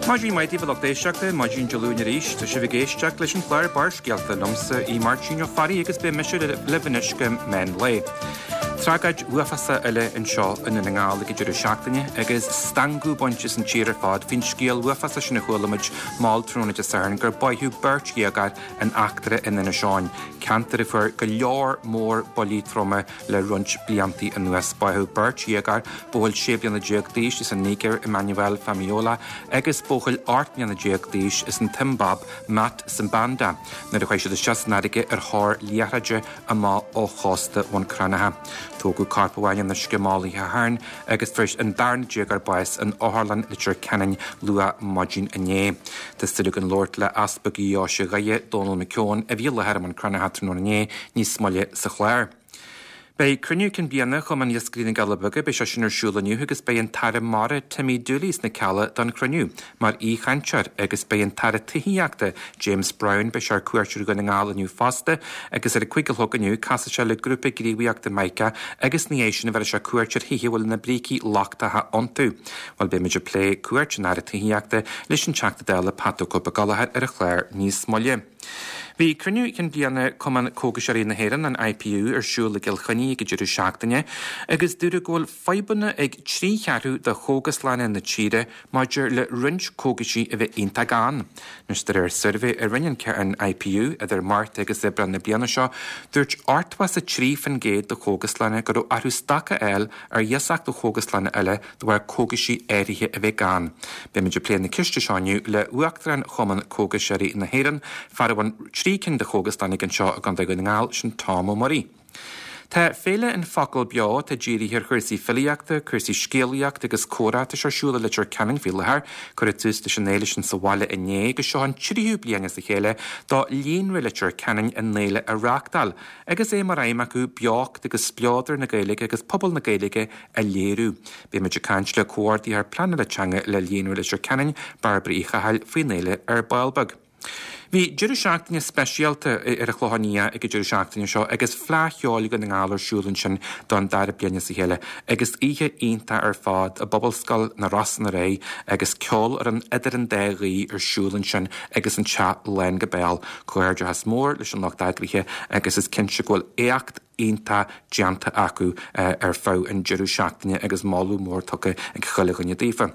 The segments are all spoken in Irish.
Maidin mhaith daoibh a lucht éisteachta, maidin Dé Luain arís. Tá sibh ag éisteacht leis an chlár Barrscéalta liomsa, Aodh Máirtín Ó Fearraigh agus beidh mise libh anois go meán lae. Tragóid uafásach eile anseo i nDún na nGall ag an deireadh seachtaine agus stangadh bainte as an tír ar fad faoin scéal uafásach sin a chuala muid mall tráthnóna Dé Sathairn gur báitheadh beirt dhéagóir in eachtra in Inis Eoghain, ceantar a fuair go leor mór buillí troma Le roinnt bliantaí anuas, báitheadh beirt dhéagóir, buachaill 16 bliana d'aois as an Nigéir, Emmanuel Famiola, agus buachaill 18 mbliana d'aois as an tSiombáib, Matt Sibanda, nuair a chuaigh siad isteach san fharraige ar thóir liathróide amach ó chósta Bhun Cranncha. Tógadh corp amháin in uisce mall oíche Shathairn agus fuair an darna déagóir bás in Otharlann Leitir Ceanainn luath maidin inné. Tá súil againn labhairt le Easpag Dheoise Dhoire, Dónal McKeown, a bhí i láthair i mBun Cranncha tráthnóna inné, níos moille sa chlár. Beidh cruinniú cinn bliana Chumann Iascairí na gCealla Beaga, beidh sé sin ar siúl inniu agus beidh an tAire Mara Timmy Dooley sna Cealla don chruinniú mar aoichainteoir agus beidh an tAire Tithíochta James Browne, beidh sé ar cuairt ar Dhún na nGall inniu fosta agus ar a 5 a chlog inniu casfaidh sé le grúpa gníomhaíochta Mica agus ina dhiaidh sin bhéarfaidh sé cuairt ar thithe a bhfuil na brící lochtacha iontu. Bhuel beidh muid ag plé cuairt an Aire Tithíochta leis an Teachta Dála Pat 'The Cope Gallagher ar an chlár níos moille. Bhí cruinniú cinn bliana Cumann Cógaiseoirí na hÉireann, an IPU, ar siúl i gCill Chainnigh ag an deireadh seachtaine agus dúradh go bhfuil fadhbanna ag 3 cheathrú de chógaslanna na tíre maidir le roinnt cógaisí a bheith iontach gann. Anois de réir suirbhé a rinne an IPU idir Márta agus Aibreán na bliana seo, dúirt 83% de chógaslanna go raibh orthu stoc a fháil ar iasacht ó chógaslanna eile de bharr cógaisí áirithe a bheith gann. Beimid ag plé na ceiste seo inniu le Uachtarán Chumann Cógaiseoirí na hÉireann, fear a bhfuil 3 cinn de chógaslanna aige anseo i gContae Dhún na nGall, sin Tom Ó Muirí. Tá Féile An Focal Beo, atá dírithe ar chúrsaí filíochta, cúrsaí scéalaíochta agus comhrá, tá sé ar siúl i Leitir Ceanainn faoi láthair. Cuireadh tús leis an fhéile sin sa bhaile inné agus seo an tríú bliain as a chéile do Líonra Leitir Ceanainn an fhéile a reáchtáil. Agus é mar aidhm acu beocht agus spleodar na Gaeilge agus pobal na Gaeilge a léiriú. Beimid ag caint le Comhordaitheoir Pleanála Teanga le Líonra Leitir Ceanainn, Bairbre Uí Chathail, faoin fhéile ar ball beag. Bhí deireadh seachtaine speisialta ar an Chlochán Liath ag an deireadh seachtaine seo agus Fleadh Cheoil Dhún na nGall ar siúl ansin don dara bliain as a chéile agus oíche iontach ar fad i bPobalscoil na Rosann aréir agus ceolfhoireann Idir an Dá Ghaoth ar siúl ansin agus an teach lán go béal. Comhghairdeachas mór leis an lucht eagraithe agus is cinnte go bhfuil éacht iontach déanta acu ar feadh an deireadh seachtaine agus moladh mór tugtha ag chuile dhuine daofa.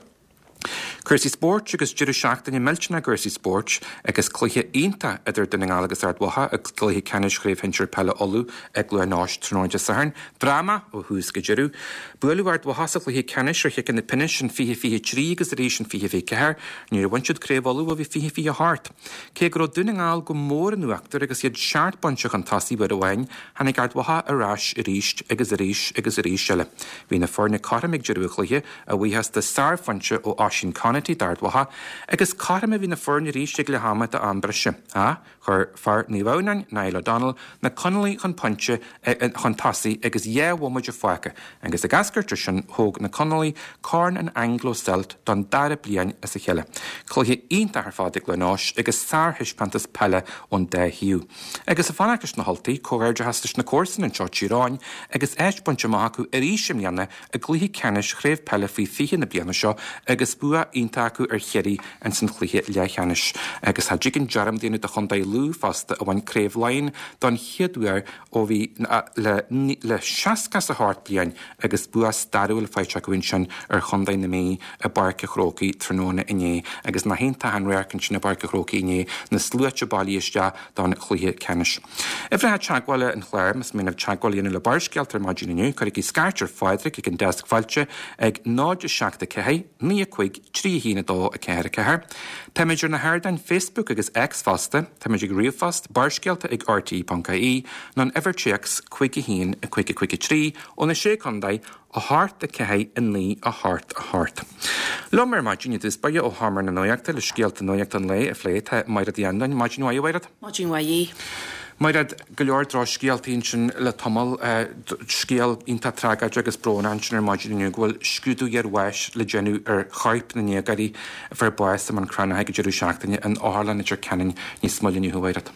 Cúrsaí spóirt agus deireadh seachtaine millteanach i gcúrsaí spóirt agus cluiche iontach idir Dún na nGall agus Ard Mhacha i gcluiche ceannais Chraobh Shinsir Peile Uladh i gCluain Eois tráthnóna Dé Sathairn. Dráma ó thús go deireadh. Buaileadh Ard Mhacha sa chluiche ceannais ar chiceanna pionóis in 2023 agus arís in 2024. Níor bhain siad Craobh Uladh ó bhí 2028. Cé go raibh Dún na nGall go mór in uachtar agus iad seacht bpointe chun tosaigh uair amháin, tháinig Ard Mhacha ar ais arís agus arís agus arís eile. Bhí na foirne cothrom ag deireadh an chluiche, a bhuíochas do sárphointe ó Oisín Conaty d'Ard Mhacha, agus cothrom a bhí na foirne arís ag leath ama d'am breise. Ach chuir fear Naomh Adhamhnáin, Niall O'Donnell, na Conallaigh chun pointe chun tosaigh agus dhá bhomaite fágtha agus ag eascairt as sin thóg na Conallaigh Corn an Anglo Celt don dara bliain as a chéile. Cluiche iontach ar fad i gCluain Eois agus sárthaispeántas peile ón dá thaobh. Agus ag fanacht leis na hUltaigh, comhghairdeachas leis na comharsana anseo Tír Eoghain agus áit bainte amach acu arís i mbliana i gcluiche ceannais Chraobh Peile Faoi 20 na bliana seo agus bua iontach acu ar Chiarraí ins an chluiche leathcheannais. Agus cha dtig an dearmad a dhéanamh de Chontae Lú fosta a bhain Craobh Laighean don chéad uair ó bhí le le 68 bliain agus bua stairiúil faighte acu ansin ar Chontae na Mí i bPáirc a' Chrócaigh tráthnóna inné. Agus nach iontach an radharc ansin i bPáirc a' Chrócaigh inné, na sluaite bailithe isteach don chluiche ceannais. Uimhreacha teagmhála an chláir, más mian libh teagmháil a dhéanamh le Barrscéalta ar maidin inniu, cuirigí scairt ar Phádraig ag an deasc fáilte ag 0 7 4 9 5 3 1 2 4 4. Táimid ar na hardáin Facebook agus X fosta. Táimid ag ríomhphost, barrscéalta ag rte.ie, nó an uimhir téacs 5 1 5 5 3 ó na Sé Contae, 8 4 9 8 8. Liom ar maidin i dtús báire ó Sheomra na Nuachta le scéalta nuachta an lae a phlé tá Mairéad Uí Andáin. Maidin mhaith, a Mhairéad. Maidin mhaith. Mairéad, go leor drochscéaltaí ansin le tamall, scéal iontach tragóideach agus brónach ansin ar maidin inniu go bhfuil scrúdú iarbháis le déanamh ar choirp na ndéagóirí a fuair bás i mBun Cranncha ag an deireadh seachtaine in Otharlann Leitir Ceanainn níos moille inniu, a Mhairéad.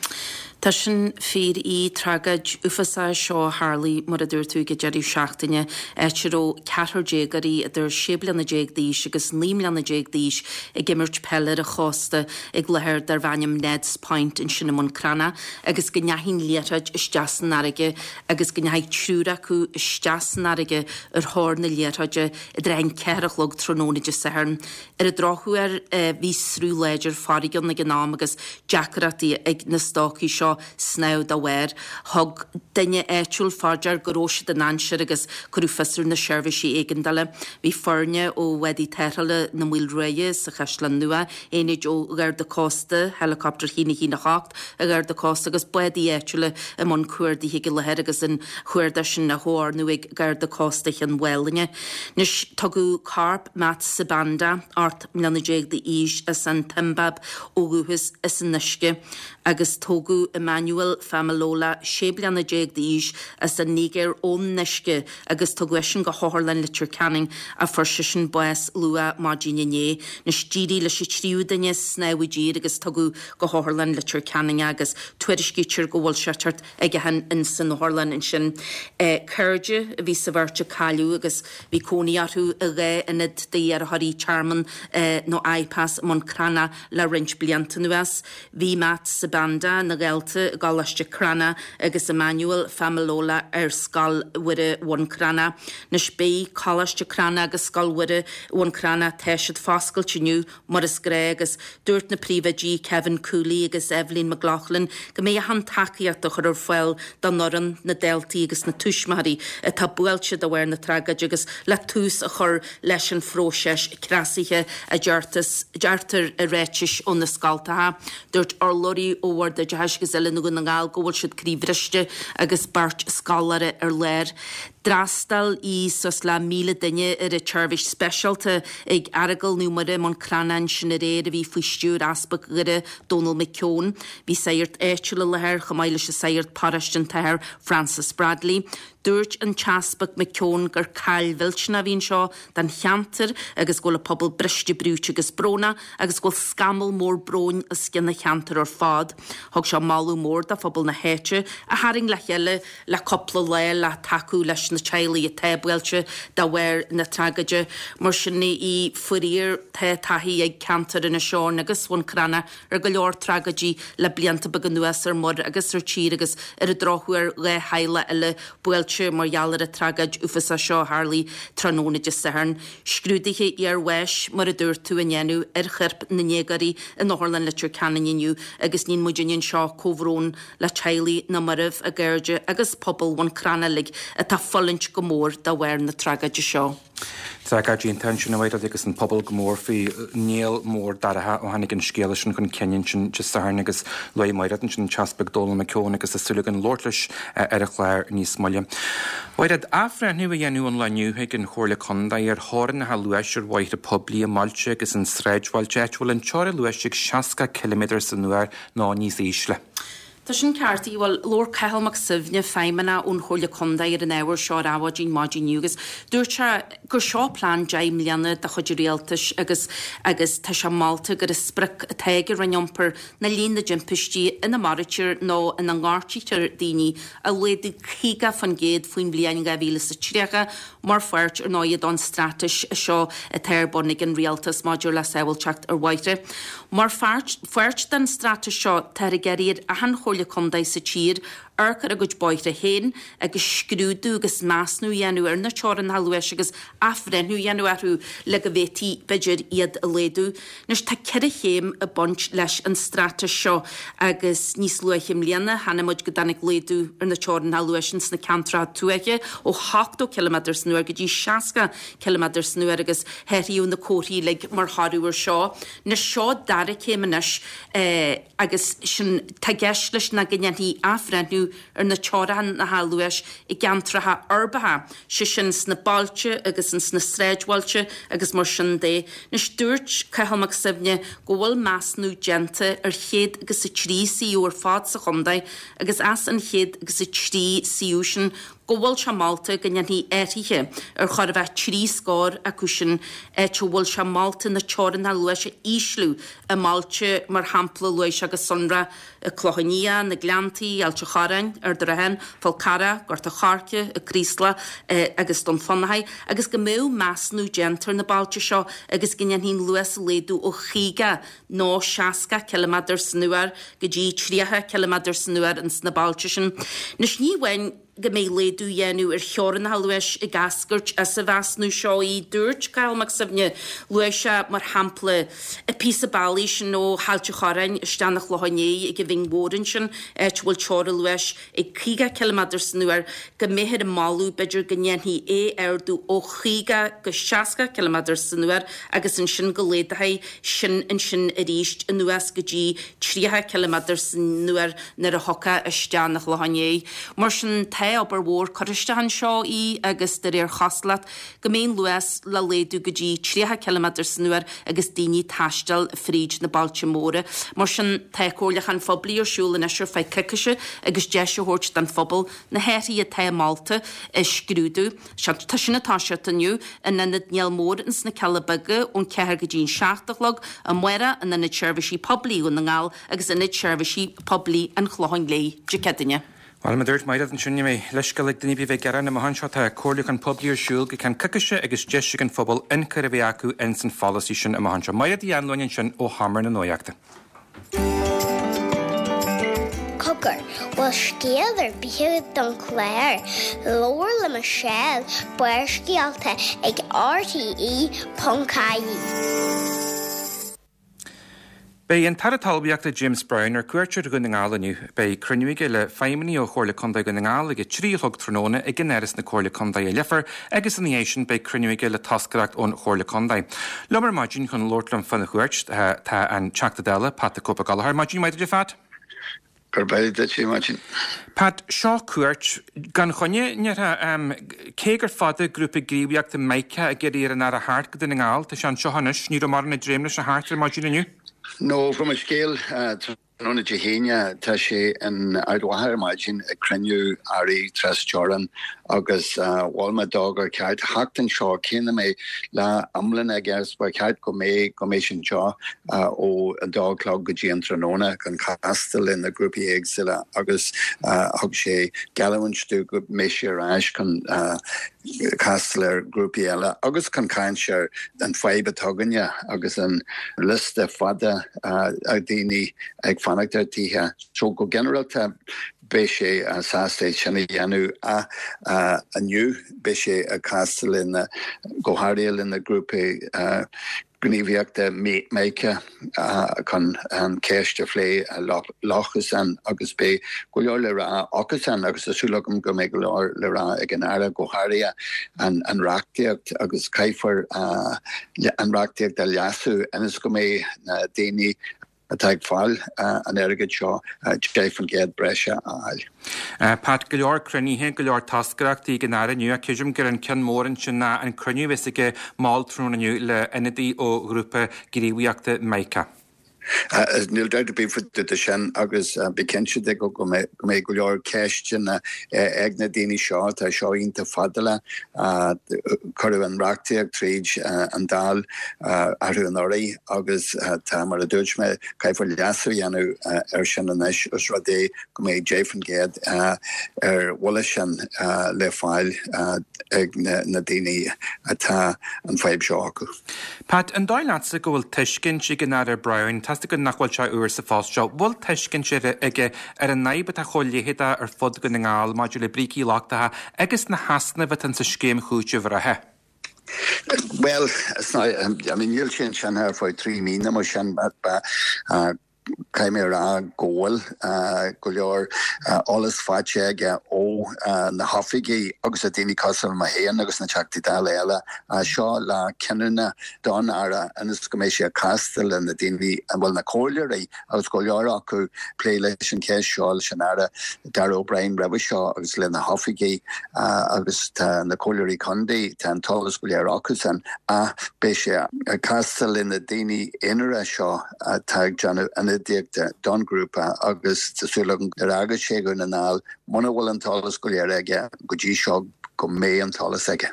Tá sin fíor í tragóid uafásach é seo a tharlaigh, mar a dúirt tú, ag an deireadh seachtaine, áit a raibh ceathrar déagóirí idir 16 bliana d'aois agus 19 mbliana d'aois ag imirt peile ar an chósta ag láthair darbh ainm Ned's Point ansin i mBun Cranncha agus go ndeachaigh an liathróid isteach san fharraige agus go ndeachaigh triúr acu isteach san fharraige ar thóir na liathróide i dtrátha an cheathair a chlog tráthnóna Dé Sathairn. Ar an drochuair, bhí sruth láidir farraige ann ag an am agus deacrachtaí ag na stócaigh seo snámh dá bharr. Thug duine áitiúil fá dear go raibh siad i ndainséar agus cuireadh fios ar na seirbhísí éigeandála. Bhí foirne ó bhádaí tarrthála na Maoile Ruaidhe sa Chaisleán Nua, aonaid ó Gharda Cósta, Helicopter 1 1 8 an Gharda Cósta agus bádaí áitiúla i mbun cuardaithe ag an láthair agus an chuardach sin á chomhordú ag Garda Cósta Chionn Mhálanna. Anois, tugadh corp Matt Sibanda, 18 mbliana d'aois, as an tSiombáib ó dhúchas, as an uisce agus tógadh Emmanuel Femilola, 16 bliana d'aois, as an Nigéir ón uisce agus tugadh eisean go hOtharlann Leitir Ceanainn ach fuair seisean bás luath maidin inné. Anois d'éirigh leis an tríú duine snámh i dtír agus tugadh go hOtharlann Leitir Ceanainn é agus tuairiscítear go bhfuil sé ag teacht chuige in san otharlann ansin. Cairde a bhí sa bheirt a cailleadh agus bhí cónaí orthu i dhá ionad d'iarrthóirí tearmainn nó IPAS i mBun Cranncha le roinnt blianta anuas. Bhí Matt Sibanda ina dhalta i gColáiste Cranncha agus Emmanuel Femilola ar Scoil Mhuire Bhun Cranncha. Anois beidh Coláiste Cranncha agus Scoil Mhuire Bhun Cranncha, tá siad foscailte inniu mar is gnáth agus dúirt na príomhoidí Kevin Cooley agus Eibhlín McLaughlin go mbeidh achan tacaíocht á chur ar fáil don fhoireann, na daltaí agus na tuismitheoirí atá buailte de bharr na tragóide agus le tús a chur leis an phróiseas cneasaithe a deirtear i ráitis ó na scoltacha. Dúirt urlabhraí ó Bhord Oideachais agus Oiliúna Dhún na nGall go bhfuil siad croíbhriste agus beirt scoláire ar lár. D'fhreastail suas le 1,000 duine ar an tseirbhís speisialta ag Aireagal Naomh Muire i mBun Cranncha ansin aréir a bhí faoi stiúir Easpag Dhoire, Dónal McKeown. Bhí sagart áitiúil i láthair chomh maith leis an sagart paróiste an tAthair Francis Bradley. Dúirt an tEaspag McKeown gur caill mhillteanach a bhí anseo don cheantar agus go bhfuil an pobal briste brúite agus brónach agus go bhfuil scamall mór bróin os cionn an cheantair ar fad. Thug sé moladh mór do phobal na háite a tharraing le chéile le cúpla lá le tacú leis na teaghlaigh atá buailte de bharr na tragóide. Mar sin í, faraor, tá taithí ag ceantar Inis Eoghain agus Bhun Cranncha ar go leor tragóidí le blianta beaga anuas ar muir agus ar tír agus ar an drochuair dhá theaghlach eile buailte mar gheall ar an tragóid uafásach seo a tharlaigh tráthnóna Dé Sathairn. Scrúduithe iarbháis, mar a dúirt tú, á ndéanamh ar choirp na ndéagóirí in Otharlann Leitir Ceanainn inniu agus níonn muidinne anseo comhbhrón le teaghlaigh na marbh, a gcairde agus pobal Bhun Cranncha uilig atá ag fulaingt go mór de bharr na tragóide seo. Tragóid iontach ansin a Mhairéad agus an pobal go mór faoi néal mór dorcha ó tháinig an scéala sin chun cinn ansin Dé Sathairn agus luaigh Mairéad ansin an tEaspag Dónal McKeown agus tá súil againn labhairt leis ar an chlár níos moille. Mhairéad, athbhreithniú a dhéanamh an lá inniu ag an Chomhairle Contae ar theorainneacha luais ar bhóithre poiblí i mbailte agus i sráidbhailte áit a bhfuil an teorainn luais ag 60 ciliméadar san uair nó níos ísle. Tá sin ceart. Bhuel, labhair Cathal Mac Suibhne, feidhmeannach ón Chomhairle Contae ar an ábhar seo ar Adhmhaidin maidin inniu agus dúirt sé gur seo plean 10 mbliana de chuid an Rialtais agus agus tá sé molta gur an sprioc atá ag an Roinn Iompair ná líon na dtimpistí ina maraítear nó ina ngortaítear daoine a laghdú 50% faoin bhliain 2030 Mar pháirt, ar ndóigh, don straitéis seo atá ar bun ag an Rialtas maidir le sábháilteacht ar bhóithre. Mar pháirt den straitéis seo, táthar ag iarraidh ar achan Chomhairle Contae sa tír amharc ar a gcuid bóithre féin agus scrúdú agus measnú a dhéanamh ar na teorainneacha luais agus athbhreithniú a dhéanamh orthu le go bhféadfaí, b'fhéidir, iad a laghdú. Anois, tá 4 chéim ag baint leis an straitéis seo agus níos luaithe i mbliana chonaic muid go dtáinig laghdú ar na teorainneacha luais ins na ceantracha tuaithe ó 80 ciliméadar san uair go dtí 60 ciliméadar san uair agus hathraíodh na comharthaí uilig mar thoradh ar seo. Anois, seo dara céim anois agus sin, tá i gceist leis ná go ndéanfaí athbhreithniú. ísliú ar na teorainneacha luais i gceantracha uirbeacha, sé sin sna bailte agus ins na sráidbhailte agus mar sin de. Anois dúirt Cathal Mac Suibhne go bhfuil measúnú déanta ar chéad agus a trí suíomh ar fad sa chontae agus as an chéad agus a trí suíomh sin go bhfuil sé molta go ndéanfaí athruithe ar chóir a bheith trí scór acu sin, áit a bhfuil sé molta na teorainneacha luais a ísliú i mbailte mar shampla luaigh sé go sonrach Clochán Liath, Na Gleanntaí, Ailt a' Chorráin, Ard an Rátha, Fál Carrach, Gort a' Choirce, An Craoslach agus Dún Fionnachaidh agus go mbeadh measúnú déanta ar na bailte seo agus go ndéanfaí an luas a laghdú ó 50 nó 60 ciliméadar san uair go dtí 30 ciliméadar san uair ins na bailte sin. Anois ní amháin go mbeidh laghdú á dhéanamh ar theorainneacha luais ag eascairt as an mheasúnú seo í, dúirt Cathal Mac Suibhne. Luaigh sé mar shampla an píosa bealaigh sin ó hAilt a' Chorráin isteach 'na Chlocháin Léith ag an Bhinn Mhór ansin, áit a bhfuil teorainn luais ag 50 ciliméadar san uair, go mbeifear ag moladh, b'fhéidir, go ndéanfaí é a ardú ó 50 go 60 ciliméadar san uair agus ansin go laghdófaí sin ansin arís anuas go dtí 30 ciliméadar san uair nuair a thiocfá isteach 'na Chlocháin Léith. Mar sin, tá obair mhór curtha isteach anseo í agus de réir chosúlacht, go mbeidh an luas le laghdú go dtí 30 ciliméadar san uair agus daoine ag taisteal fríd na bailte móra. Mar sin, tá comhairliúchán phoiblí ar siúl anois ar feadh coicíse agus deis a thabhairt don phobal na hathruithe atá molta a scrúdú. Tá sin ag toiseacht inniu in Ionad Néill Mór ins na Cealla Beaga ón 4 go dtí an 7 a chlog, amárach in Ionad Seirbhísí Poiblí Dhún na nGall agus Ionad Seirbhísí Poiblí an Chlocháin Léith Dé Céadaoine. Bhuel, mar a dúirt Mairéad ansin, ní bheidh leithscéal ag duine ar bith a bheith ag gearán amach anseo. Tá comhairliúchán poiblí ar siúl go ceann coicíse agus deis ag an phobal ionchur a bheith acu ins an pholasaí sin amach anseo. Mairéad Uí Anluain ansin ó Sheomra na Nuachta. Cogar, bhfuil scéal ar bith agat don chlár? Labhair le Michelle, Barrscéalta ag RTE.ie. Beidh an tAire Talmhaíochta James Browne ar cuairt ar Dhún na nGall inniu. Beidh cruinniú aige le feidhmeannaigh ó Chomhairle Contae Dhún na nGall ag a 3 a chlog tráthnóna ag in Áras na Comhairle Contae i Leifear agus ina dhiaidh sin beidh cruinniú aige le toscaireacht ón Chomhairle Contae. Liom ar maidin chun labhairt liom fána chuairt tá an Teachta Dála Pat 'The Cope' Ó Gallchóir. Maidin mhaith duit a Phat. Gurb é duit a Mháirtín. Pat, seo cuairt gan choinne, ndéarfá. Cé gur fada grúpa gníomhaíochta Mica ag iarraidh ar an Aire theacht go Dún na nGall, tá sé anseo anois. Ní raibh mórán ag dréim leis a theacht ar maidin inniu. No, fuair mé scéal tráthnóna Dé hAoine, tá sé in Ard Mhacha ar maidin ag cruinniú airí trasteorann agus mhol mé dó gur cheart theacht anseo, cé nach mbeidh lá iomlán aige, ba cheart go mbeidh go mbeidh sé anseo ó a dó a chlog go dtí an tráthnóna chun castáil le na grúpaí éagsúla agus thug sé geallúint domh go mbeidh sé ar ais chun castáil ar ghrúpaí eile agus chun caint ar an fadhb atá againne agus an liosta fada daoine ag fanacht ar tithe. So go ginearálta beidh sé sásta é sin a dhéanamh ach inniu beidh sé ag castáil lena, go háirithe le na grúpaí gníomhaíochta Mica chun an cheist a phlé leosan agus beidh go leor le rá acusan agus tá súil agam go mbeidh go leor le rá ag an Aire, go háirithe an reachtaíocht agus caithfear an reachtaíocht a leasú ionas go mbeidh na daoine atá ag fáil an airgid seo 10% breise a fháil. Pat, go leor cruinnithe, go leor toscaireachtaí ag an Aire inniu ach creidim gur an ceann mór ansin ná an cruinniú a bheas aige mall tráthnóna inniu le ionadaí ó ghrúpa gníomhaíochta Mica. Níl dabht ar bith faoi dtaobh de sin agus bí cinnte de go mbeidh go leor ceisteanna ag na daoine seo. Tá seo iontach fadálach. Cuireadh an reachtaíocht tríd an Dáil arú anuraidh. Agus tá, mar a dúirt mé, caithfear leasú a dhéanamh air sin anois os rud é go mbeidh 10% ar bhuille sin le fáil ag na daoine atá an fadhb seo acu. Pat, an dóigh leatsa go bhfuil tuiscint ag an Aire Browne, tá's agat nach bhfuil sé úr sa phost seo, bhfuil tuiscint aige ar an fhadhb atá chomh leitheadach ar fud Dhún na nGall maidir le brící lochtacha agus na heasnaimh atá sa scéim chúitimh reatha? Bhuel, I mean, níl sé ansin ar feadh 3 mí nó mar sin. Caithfidh mé a rá go bhfuil go leor eolas faighte aige ó na hoifigigh agus na daoine cosúil le mé féin agus na Teachtaí Dála eile. Seo lá cinniúna don Aire ionas go mbeidh sé ag castáil le na daoine, bhuel na comhairleoirí agus go leor acu plé leis an cheist seo leis an Aire Darragh O'Brien roimhe seo agus le na hoifigigh agus tá na comhairleoirí contae, tá an t-eolas go léir acusan ach beidh sé ag castáil le na daoine aonara seo. atá ag déanamh ionadaíochta don ghrúpa agus tá súil agam nuair a fhágas sé Dhún na nGall, muna bhfuil an t-eolas go léir aige go dtí seo, go mbeidh an t-eolas aige.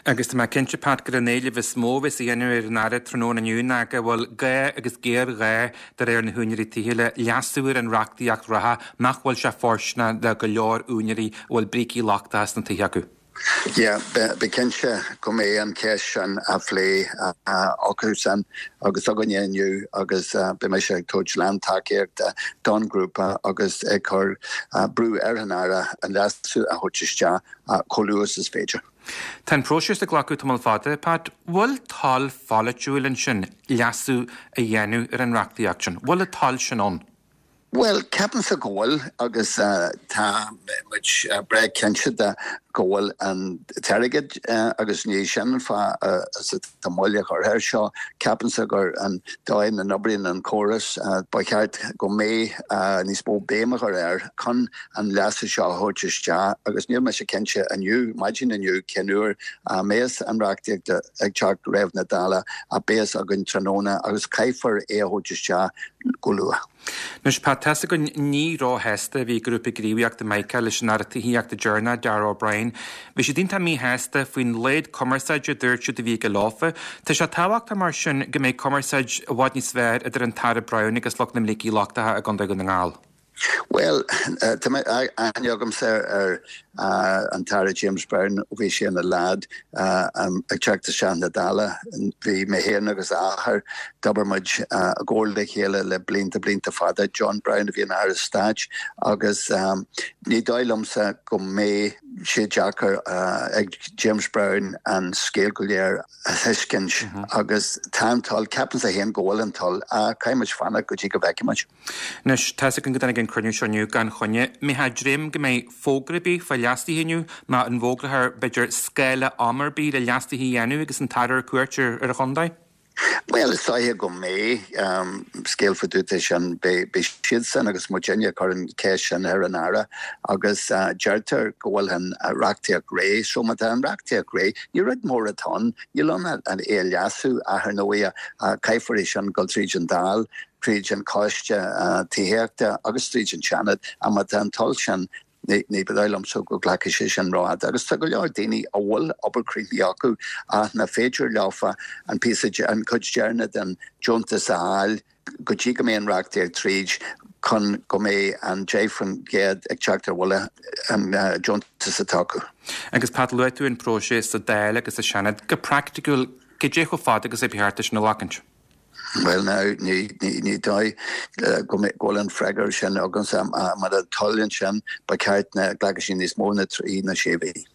Agus tá mé cinnte, Pat, gur an éileamh is mó a bheas á dhéanamh ar an Aire tráthnóna inniu ná go bhfuil gá agus géarghá de réir na húinéirí tithe le leasú ar an reachtaíocht reatha nach bhfuil sé fóirsteanach do go leor úinéirí a bhfuil brící lochtacha sna tithe acu. Yeah, bí cinnte go mbeidh an cheist sin á phlé acusan agus againne inniu agus beidh mise ag tabhairt lán-tacaíochta don ghrúpa agus ag cur brú ar an Aire an leasú a thabhairt isteach chomh luath is is féidir. Tá an próiseas ag glacadh tamall fada, Pat. Bhfuil toil pholaitiúil ansin leasú a dhéanamh ar an reachtaíocht sin? Bhfuil an toil sin ann? Bhuel, ceapaimse go bhfuil agus tá muid breá cinnte de go bhfuil an t-airgead agus ní sin an fáth atá moill curtha air seo. Ceapaimse gur an dóigh ina n-oibríonn an córas, ba cheart go mbeadh níos mó béim a chur air chun an leasú seo a thabhairt isteach agus níl mise cinnte inniu, maidin inniu, cén uair a mbeas an reachtaíocht ag teacht roimh na Dála ach beidh a fhios againn tráthnóna agus caithfear é a thabhairt isteach go luath. Anois, Pat, tá's againn ní róshásta a bhí Grúpa Gníomhaíochta Mica leis an Aire Tithíochta deireanach, Darragh O'Brien. Bhí siad iontach míshásta faoin laghad cumarsáide a dúirt siad a bhí aige leofa. Tá sé tábhachtach mar sin go mbeidh cumarsáid i bhfad níos fearr idir an tAire Browne agus lucht na mbrící lochtacha i gContae Dhún na nGall. Bhuel, tá aithne agamsa ar an tAire James Browne ó bhí sé ina leaid ag teacht isteach na Dála. Bhí mé féin agus a athair, d'obair muid i gcomhar le chéile le blianta, blianta fada. John Browne a bhí ina Aire Stáit agus ní dóigh liomsa go mbeidh sé deacair ag James Browne an scéal go léir a thuiscint agus tá an toil, ceapaimse féin go bhfuil an toil, ach caithfidh muid fanacht go dtí go bhfeicfidh muid. Anois, tá's againn go dtáinig an cruinniú seo inniu gan choinne. An mbeifeá ag dréim go mbeidh fógra ar bith fá leasuithe inniu, nó an bhfógrófar, b'fhéidir, scála ama ar bith le leasuithe a dhéanamh agus an tAire ar cuairt ar an chontae? Bhuel, is dóiche go mbeidh. Scéal fá dtaobh de sin, beidh siadsan agus muidinne ag cur an cheist sin ar an Aire agus deirtear go bhfuil an reachtaíocht réidh. So má tá an reachtaíocht réidh, ní rud mór atá ann, níl ann ach é a leasú ach ar ndóigh caithfear é sin dul tríd an Dáil. tríd an Choiste Tithíochta agus tríd an Seanad, ach má tá an toil sin, ní dóigh liomsa go nglacfaidh sé sin rófhada. Agus tá go leor daoine a bhfuil obair críochnaithe acu ach nach féidir leofa an píosa, an chuid deireanach den deontas a fháil go dtí go mbeidh an reachtaíocht tríd chun go mbeidh an 10% ag teacht ar bhuille an deontas atá acu. Agus Pat, luaigh tú an próiseas sa Dáil agus sa Seanad. Go praiticiúil, cad é chomh fada agus a ba cheart é sin a ghlacaint? Bhuel now, ní dóigh go bhfuil an freagra sin agamsa. Má tá toil ansin, ba cheart nach nglacfadh sé níos mó ná trí nó sé mhí.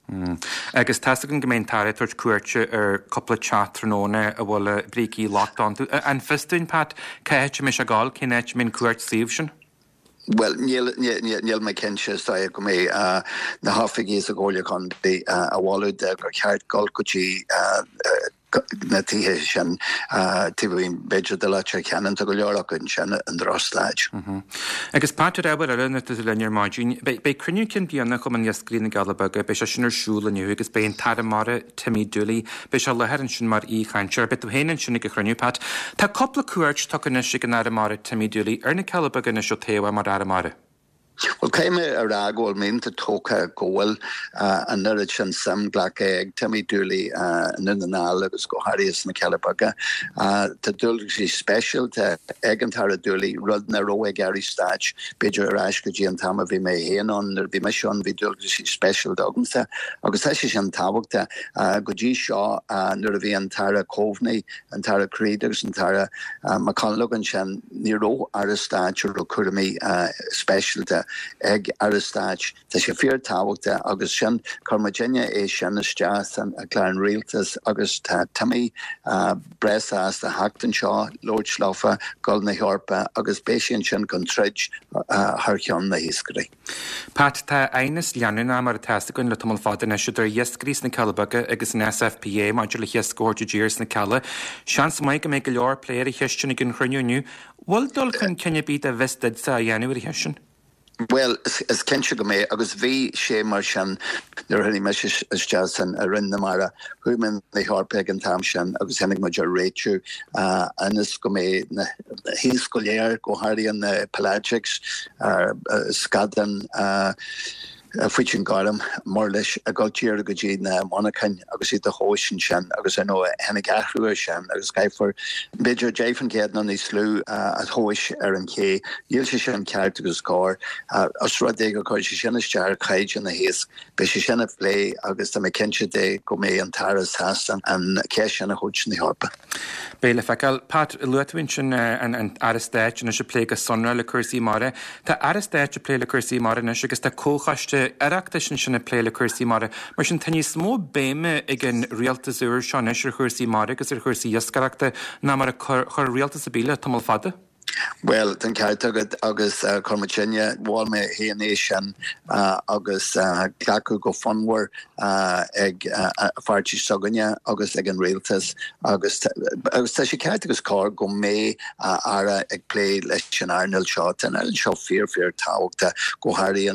Agus tá's againn go mbeidh an tAire ag tabhairt cuairte ar cúpla teach tráthnóna a bhfuil brící lochtacha iontu. An fios dúinn, Pat, cá háit a mbeidh sé ag dul, cén áit a mbeidh an cuairt suímh sin? Bhuel, níl, níl mé cinnte. Is dóigh go mbeidh na hoifigigh sa Chomhairle Contae á mholadh de gur cheart dul go dtí na tithe sin taobh amuigh b'fhéidir de Leitir Ceanainn, tá go leor acu ansin i ndrochstaid. Agus Pat, ar ábhar eile nuair atá tú linn ar maidin, beidh cruinniú cinn bliana Chumann Iascairí na gCealla Beaga, beidh sé sin ar siúl inniu agus beidh an tAire Mara, Timmy Dooley, beidh sé i láthair ansin mar aoichainteoir. Beidh tú féin ansin ag an chruinniú, Pat. Tá cúpla cuairt tugtha anois ag an Aire Mara, Timmy Dooley, ar na Cealla Beaga anois ó toghadh é mar Aire Mara. Bhuel, caithfidh mé a rá go bhfuil mé iontach tógtha go bhfuil an oiread sin suim glactha ag Timmy Dooley i nDún na nGall agus go háirithe sna Cealla Beaga. Tá dualgaisí speisialta ag an tAire Dooley, rud nach raibh ag Airí Stáit, b'fhéidir ar ais go dtí an t-am a bhí mé féin ann. Nuair a bhí mise ann bhí dualgaisí speisialta agamsa agus tá sé sin tábhachtach. Go dtí seo nuair a bhí an tAire Coveney, an tAire Creed agus an tAire McConalogue ansin, Ní raibh Aire Stáit a raibh cúraimí speisialta. ag Aire Stáit. Tá sé fíor tábhachtach agus sin, chuir muidinne é sin isteach san clár an Rialtas agus tá Timmy breá sásta theacht anseo, labhairt leofa, dul na hEorpa agus beidh sé ansin chun troid thar cheann na hiascairí. Pat, tá aighneas leanúnach mar atá fhios againn le tamall fada anois idir iascairí sna Cealla Beaga agus an SFPA maidir le hiasc a thabhairt i dtír sna Cealla. Seans maith go mbeidh go leor plé ar an cheist sin ag an chruinniú inniu. Bhfuil dul chun cinn ar bith dá bhfios duitse á dhéanamh ar an cheist sin? Bhuel, is cinnte go mbeidh, agus bhí sé mar sin nuair a tháinig mise isteach san i Roinn na Mara. Chuaigh mé na hEorpa ag an t-am sin agus tháinig muid ar réitiú ionas go mbeidh na hiasc go léir, go háirithe na pelagics, scadán, faoitín gorm, murlais, ag dul díreach go dtí na monarchain agus iad a thomhais ansin agus ar ndóigh tháinig athrú ar sin agus caithfear b'fhéidir 10% nó níos lú a thomhais ar an ché. Níl sé sin ceart agus cóir. Os rud é gur chuir sé sin isteach ar chaighdeán na hiasc, beidh sé sin á phlé agus tá mé cinnte de go mbeidh an tAire sásta an cheist sin a thabhairt chun na hEorpa. Beidh le feiceáil. Pat, luaigh tú ansin an Aire Stáit anois ag plé go sonrath le cúrsaí mara. Tá Aire Stáit ag plé le cúrsaí mara anois agus tá comhchoiste Oireachtais ansin ag plé le cúrsaí mara. Mar sin tá níos mó béime ag an rialtas úr seo anois ar chúrsaí mara agus ar chúrsaí iascaireachta ná mar a chuir rialtas ar bith le tamall fada. Bhuel, tá an ceart agat agus chuir muidinne, mhol mé féin é sin agus glacadh go fonnmhar ag an pháirtí s'againne agus ag an rialtas agus agus tá sé ceart agus cóir go mbeidh Aire ag plé leis an earnáil seo. Tá an earnáil seo fíor fíor tábhachtach, go háirithe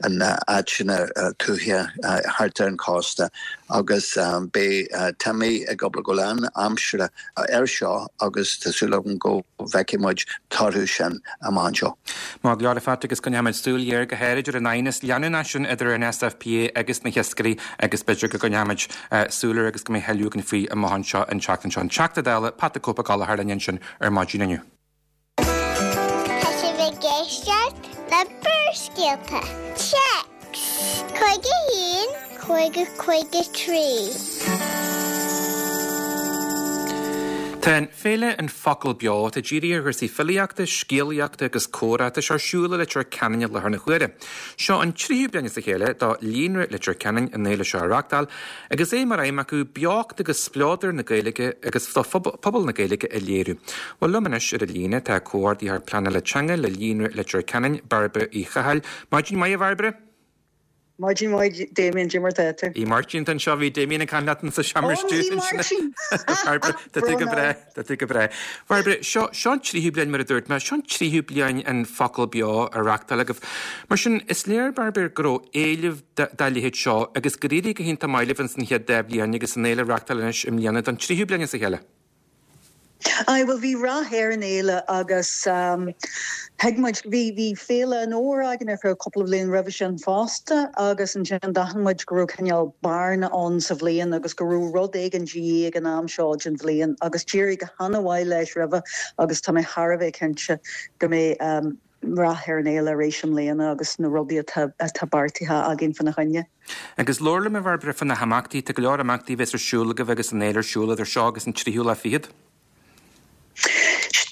in áiteanna tuaithe thart ar an chósta agus beidh Timmy ag obair go lán aimsire air seo agus tá súil agam go bhfeicfidh muid torthaí sin amach anseo. Maith go leor a Phat agus coinneoimid súil ghéar go háirid ar an aighneas leanúnach sin idir an SFPA agus na hiascairí agus b'fhéidir go gcoinneoimid súil air agus go mbeidh thuilleadh againn faoi amach anseo an tseachtain seo. An Teachta Dála, Pat the Cope Ó Gallchóir linn ansin ar maidin inniu. Tá sibh ag éisteacht le Barrscéalta. Téacs 51 50 53. Tá an féile An Focal Beo, atá dírithe ar chúrsaí filíochta, scéalaíochta agus comhrá, tá sé ar siúl i Leitir Ceanainn i láthair na huaire. Seo an tríú bliain as a chéile do Líonra Leitir Ceanainn an fhéile seo a reáchtáil agus é mar aidhm acu beocht agus spleodar na Gaeilge agus do phobal na Gaeilge a léiriú. Bhuel liom anois ar an líne tá Comhordaitheoir Pleanála Teanga le Líonra Leitir Ceanainn, Bairbre Uí Chathail. Maidin mhaith a Bhairbre! Maidin mhaith Damien, cad é mar tá tú? A Mháirtín atá anseo, bhí Damien ag caint leat insa seomra stiúideo Ó, ní ansin. Máirtín! Bairbre, tá tú go breá, tá tú go breá. Bairbre, seo, seo an tríú bliain mar a dúirt mé, seo an tríú bliain an Focal Beo á reáchtáil agaibh. Mar sin, is léir, Bairbre, go raibh éileamh dá leithéid seo agus gur éirigh go hiontach maith libh ins an chéad dá bhliain agus an fhéile á reáchtáil anois i mbliana don tríú bliain as a chéile. Aye, bhuel bhí rath ar an fhéile agus thuig muid, bhí, bhí Féile an Fhómhair againn ar feadh cúpla bliain roimhe sin fosta agus ansin d'aithin muid go raibh cineál bearna ann sa bhliain agus go raibh rud éigin de dhíth ag an am seo den bhliain agus d'éirigh go han-mhaith leis roimhe agus tá mé thar a bheith cinnte go mbeidh rath ar an fhéile arís i mbliana agus na rudaí atá atá beartaithe againn fána choinne. Agus labhair liom a Bhairbre fá na himeachtaí, tá go leor imeachtaí a bheas ar siúl agaibh agus an fhéile ar siúl idir seo agus an tríú lá fichead.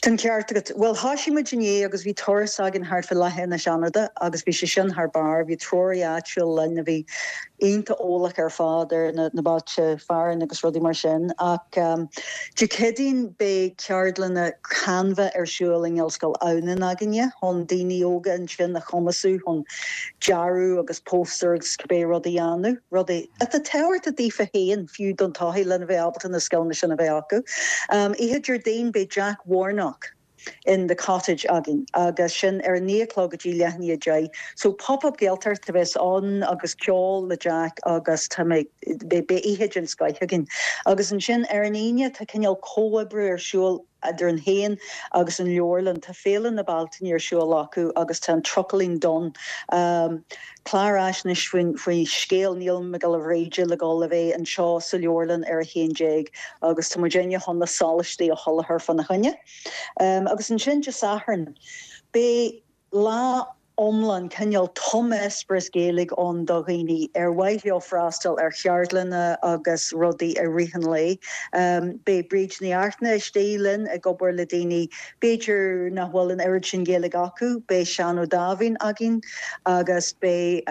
Tá an ceart agat. Bhuel, thoisigh muid inné agus bhí turas againn thart fá Leath Inis Fhánada agus bhí sé sin thar barr. Bhí treoraí áitiúil linn a bhí iontach eolach ar fad ar na bailte fearainn agus rudaí mar sin. Ach Dé Céadaoin beidh ceardlanna Canva ar siúl i nGaelscoil Adhamhnáin againne chun daoine óga ansin a chumasú chun dearadh agus póstaer agus cibé rud a dhéanamh, rudaí atá tábhachtach daofa féin fiú don todhchaí lena bheith ábalta na scileanna sin a bheith acu. Oíche Déardaoin beidh Jack Warnock in The Cottage againn agus sin ar a 9 a chlog go dtí leath i ndiaidh 10. So Pop Up Gaeltacht a bheas ann agus ceol le Jack agus tá mé, beidh oíche den scoith againn. Agus ansin ar an Aoine tá cineál comhoibriú ar siúl idir muid féin agus an leabharlann. Tá Féile na Bealtaine ar siúl acu agus tá an Trucailín Donn, clár fhaisnéis faoi scéal Niall Mac Giolla Bhríde le dhul a bheith anseo sa leabharlann ar 11 agus tá muidinne chun na sólaistí a sholáthar fána choinne. Agus ansin Dé Sathairn, beidh lá. iomlán, cineál tumeispéireas Gaeilge ann do dhaoine ar mhaith leo freastal ar cheardlanna agus rudaí i rith an lae. Beidh Bríd Ní Fhachtna istigh linn ag obair le daoine b'fhéidir nach bhfuil an oiread sin Gaeilge acu, beidh Seán Ó Dáimhín againn agus beidh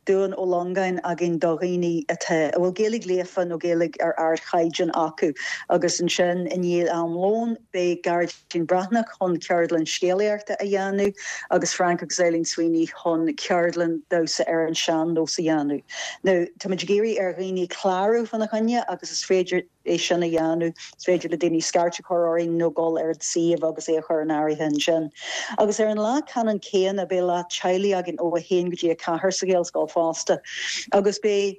Dubhán Ó Longáin againn do dhaoine atá, a bhfuil Gaeilge líofa nó Gaeilge ar ardchaighdeán acu. Agus ansin i ndiaidh am lóin beidh Gearóidín Breathnach chun ceardlann scéalaíochta a dhéanamh agus Frank agus Eileen Sweeney chun ceardlann damhsa ar an sean-nós a dhéanamh. Now táimid ag iarraidh ar dhaoine clárú fána choinne agus is féidir é sin a dhéanamh. Is féidir le daoine scairt a chur orainn nó dul ar an suíomh agus é a chur in áirithe ansin. Agus ar an lá ceannann céanna beidh lá teaghlaigh againn ó 1 go dtí 4 sa Ghaelscoil fosta agus beidh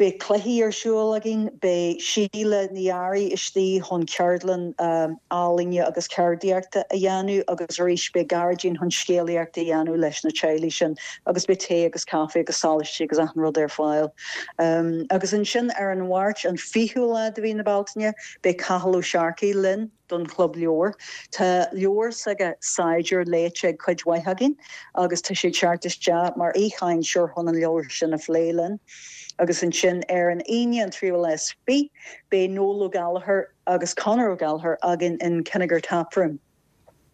beidh cluichí ar siúl againn, beidh Síle Ní Fhearraigh istigh chun ceardlann ealaíne agus ceardaíochta a dhéanamh agus arís beidh Gearóidín chun scéalaíocht a dhéanamh leis na teaghlaigh sin agus beidh tae agus caife agus sólaistí agus achan rud ar fáil. Agus ansin ar an Mháirt, an 20ú lá de mhí na Bealtaine, beidh Cathal Ó Searcaigh linn don Chlub Leabhar. Tá leabhar s'aige, Saighdiúir, léite ag cuid mhaith againn agus tá sé ag teacht isteach mar aoichainteoir chun an leabhar sin a phlé linn. Agus ansin ar an Aoine, an tríú lá is fiche, beidh Noel Ó Gallchóir agus Conor Ó Gallchóir againn in Kinnegar Taproom.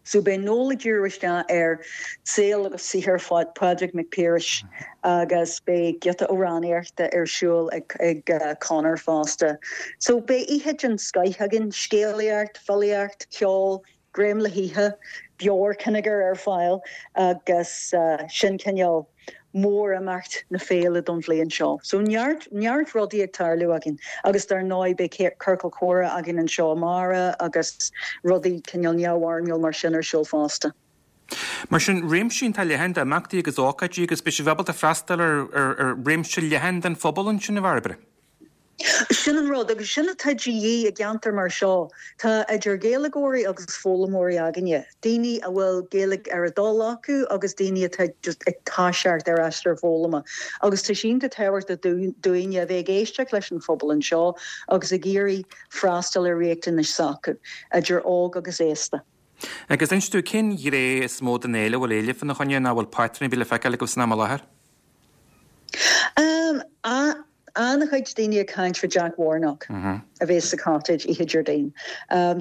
So beidh Noel ag díriú isteach ar saol agus saothar Phádraig Mac Piarais agus beidh giota amhránaíochta ar siúl ag Conor fosta. So beidh oíche den scoith againn, scéalaíocht, filíocht, ceol, greim le hithe, beoir Kinnegar ar fáil agus sin cineál mórimeacht na féile don bhliain seo. So neart, neart rudaí ag tarlú againn agus dar ndóigh beidh ciorcal comhrá againn anseo amárach agus rudaí cineál neamhfhoirmiúil mar sin ar siúl fosta. Mar sin, réimse iontach leathan d'imeachtaí agus ócáidí agus beidh sibh ábalta freastal ar, ar, ar réimse leathan den phobal ansin, a Bhairbre. Sin an rud, agus sin atá de dhíth i gceantar mar seo. Tá idir Ghaeilgeoirí agus foghlaimeoirí againne, daoine a bhfuil Gaeilge ar a dtoil acu agus daoine atá just ag toiseacht ar aistear foghlama. Agus tá sé iontach tábhachtach dúinne a bheith ag éisteacht leis an phobal anseo agus ag iarraidh freastal ar riachtanais s'acu, idir óg agus aosta. Agus inis dúinn, cén ghné is mó den fhéile a bhfuil éileamh fána choinne nó a bhfuil patrún ar bith le feiceáil agaibh san am i láthair? An-chuid daoine ag caint fá Jack Warnock a bheas sa Cottage oíche Déardaoin.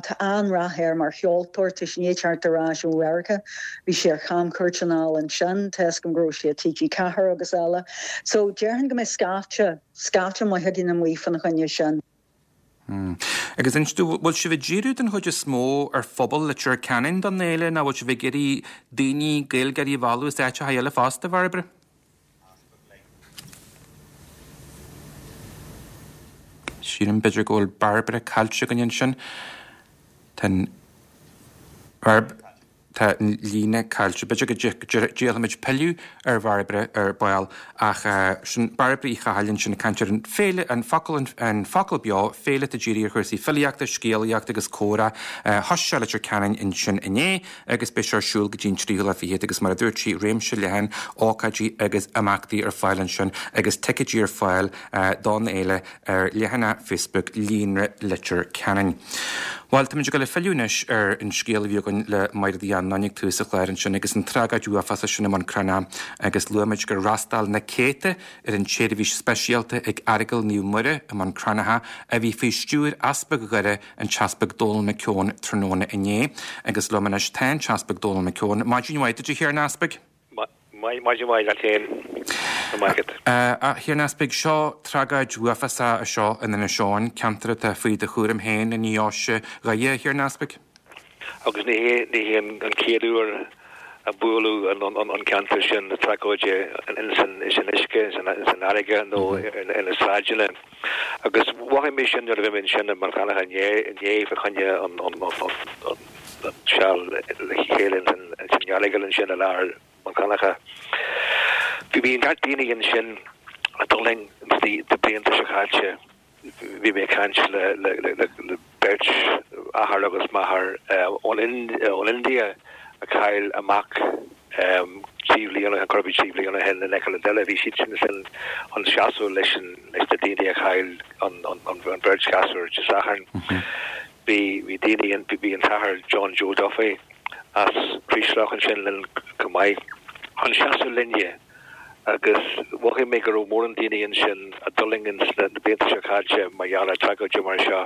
Tá an-rath air mar cheoltóir, tá sé i ndiaidh teacht ar ais ó Mheiriceá, bhí sé ar chamchuairt anall ansin, tá 'fhios agam go raibh sé i TG4 agus eile. So déarfainn go mbeidh scaifte, scaifte maith againn amuigh fána choinne sin. Agus inis dúinn, bhfuil sibh ag díriú den chuid is mó ar phobal Leitir Ceanainn don fhéile nó bhfuil sibh ag iarraidh daoine, Gaeilgeoirí a mhealladh as áiteacha eile fosta, a Bhairbre? Sílim b'fhéidir go bhfuil Bairbre caillte againn ansin. Tá an Bhairb. Tá an líne caillte. B'fhéidir go dtriailfimid pilleadh ar Bhairbre ar ball ach sin Bairbre Uí Chathail ansin ag caint ar an féile, an focal, an focal beo, féile atá dírithe ar chúrsaí filíochta, scéalaíochta agus comhrá. Thosaigh sé i Leitir Ceanainn ansin inné agus beidh sé ar siúl go dtí an tríú lá fichead agus mar a dúirt sí, réimse leathan ócáidí agus imeachtaí ar fáil ansin agus ticéidí ar fáil don fhéile ar leathanach Facebook Líonra Leitir Ceanainn. Bhuel, táimid ag dul ag filleadh anois ar an scéal a bhí againn le Mairéad Uí Annáin ag tús an chláir ansin agus an tragóid uafásach sin i mBun Cranncha agus luaigh muid gur fhreastail na céadta ar an tseirbhís speisialta ag Aireagal Naomh Muire i mBun Cranncha a bhí faoi stiúir Easpag Dhoire, an tEaspag Dónal McKeown tráthnóna inné. Agus liom anois tá an tEaspag Dónal McKeown. Maidin mhaith duit a Thiarna Easpaig. Maidin mhaith leat féin, a Mhaighread. A Thiarna Easpaig, seo tragóid uafásach anseo in Inis Eoghain, ceantar atá faoi do chúram féin i ndeoise Dhoire, a Thiarna Easpaig. Agus ní hé an chéad uair a buaileadh an ceantar sin le tragóid ins an uisce, ins an fharraige nó ar na sráideanna. Agus mhothaigh mé sin nuair a bhí mé ansin i mBun Cranncha inné fá choinne an seal le chéile ins an aireagal ansin i lár Bhun Cranncha. Bhí neart daoine ansin a d'fhulaing ins na blianta seo caite. Bhí mé ag caint le beirt, athair agus máthair, ón India a chaill a mac 3 bhliain ó shin, corradh 3 bhliain ó shin in aice le Doire. Bhí siadsan ansin chun seasamh leis na daoine a chaill an bheirt ghasúr Dé Sathairn. Bhí daoine, bhí an tAthair John Joe Duffy as Creeslough ansin linn chomh maith. Chun seasamh linne agus mhothaigh mé go raibh mórán daoine ansin a d'fhulaing ins na blianta seo caite mar gheall ar tragóidí mar seo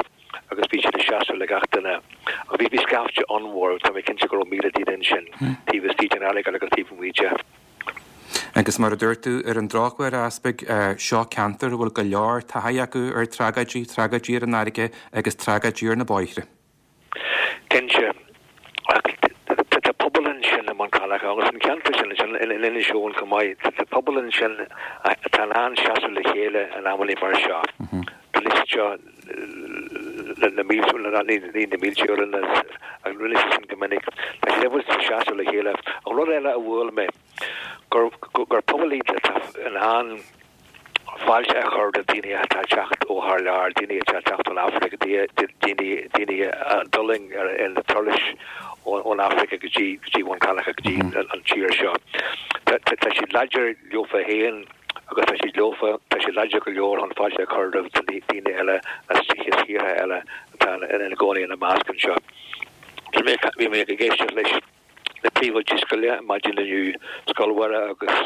agus bhí siad ag seasamh le gach duine. Ach bhí bhí scaifte an-mhór, tá mé cinnte go raibh 1,000 daoine ansin taobh istigh den Aileagal agus taobh amuigh de. Agus mar a dúirt tú, ar an drochuair, a Easpaig, seo ceantar a bhfuil go leor taithí acu ar tragóidí, tragóidí ar an fharraige agus tragóidí ar na bóithre. Cinnte. Ach tá pobal ansin i mBun Cranncha agus an ceantar sin ansin in Inis Eoghain chomh maith, tá pobal ansin atá in ann seasamh le chéile in amannaí mar seo. Tá siad seo na mílte, ní na mílte uaireanta ach rinne siad sin go minic. Tá siad ábalta seasamh le chéile. Ach rud eile a bhuail mé, gur gur pobal iad atá in ann fáilte a chur do daoine atá ag teacht ó thar lear, daoine atá ag teacht ón Afraic, daoine daoine a d'fhulaing ar na turais ón Afraic go dtí go dtí Bun Cranncha, go dtí an tír seo. Tá siad láidir leofa féin agus tá siad leofa, tá siad láidir go leor chun fáilte a chur roimh daoine eile as tíortha eile atá ina gcónaí ina measc anseo. Bhí mé ag éisteacht leis na príomhoidí scoile maidin inniu, Scoil Mhuire agus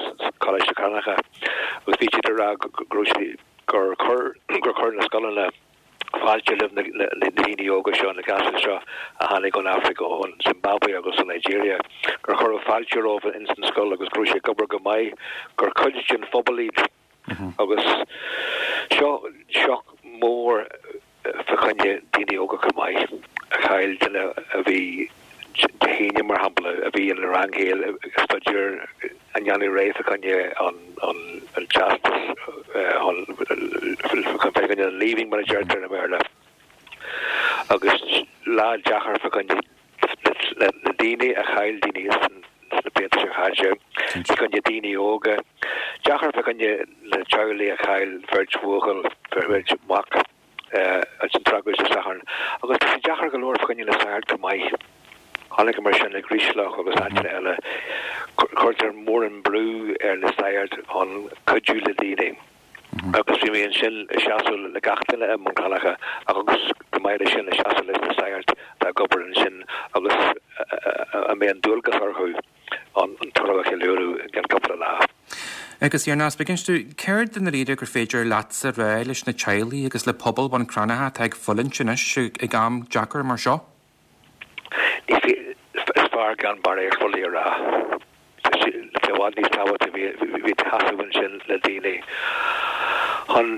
Coláiste Cranncha, agus bhí siad ag rá go raibh siad, gur chuir, gur chuir na scoileanna fáilte roimh na daoine óga seo, na gasúir seo a tháinig ón Afraic, ón Zimbabwe agus ón Nigeria, gur cuireadh fáilte rompu ins an scoil agus go raibh sé ag obair go maith, gur cuid den phobal iad. Agus seo sioc mór fa choinne daoine óga chomh maith, a chaill duine a bhí Dé hAoine, mar shampla, a bhí ina rang chéile ag staidéar ag déanamh réidh fa choinne an teastas fa choinne an Leaving mar a deirtear i mBéarla. Agus lá deacair fa choinne na daoine a chaill daoine sna blianta seo caite, fa choinne daoine óga, deacair fa choinne na teaghlaigh a chaill beirt bhuachaill, beirt mhac ins an tragóid Dé Sathairn, agus tá sé deacair go leor fa choinne na sagairt chomh maith. Chonaiceamar sin i gCroislach agus áiteanna eile, cuirtear mórán brú ar na sagairt chun cuidiú le daoine. Agus bhí mé ansin ag seasamh le gach duine i mBun Cranncha agus chomh maith leis sin ag seasamh leis na sagairt atá ag obair ansin agus a mbeidh an dualgas orthu an tórramh a cheiliúradh i gceann cúpla lá. Agus a Easpaig, inis dúinn, céard i ndáiríre gur féidir leatsa a rá leis na teaghlaigh agus le pobal Bhun Cranncha atá ag fulaingt anois ag am deacair mar seo? Is fearr gan barraíocht rudaí a rá. Tá sé i bhfad níos tábhachtaí bheith ag seasamh ansin le daoine chun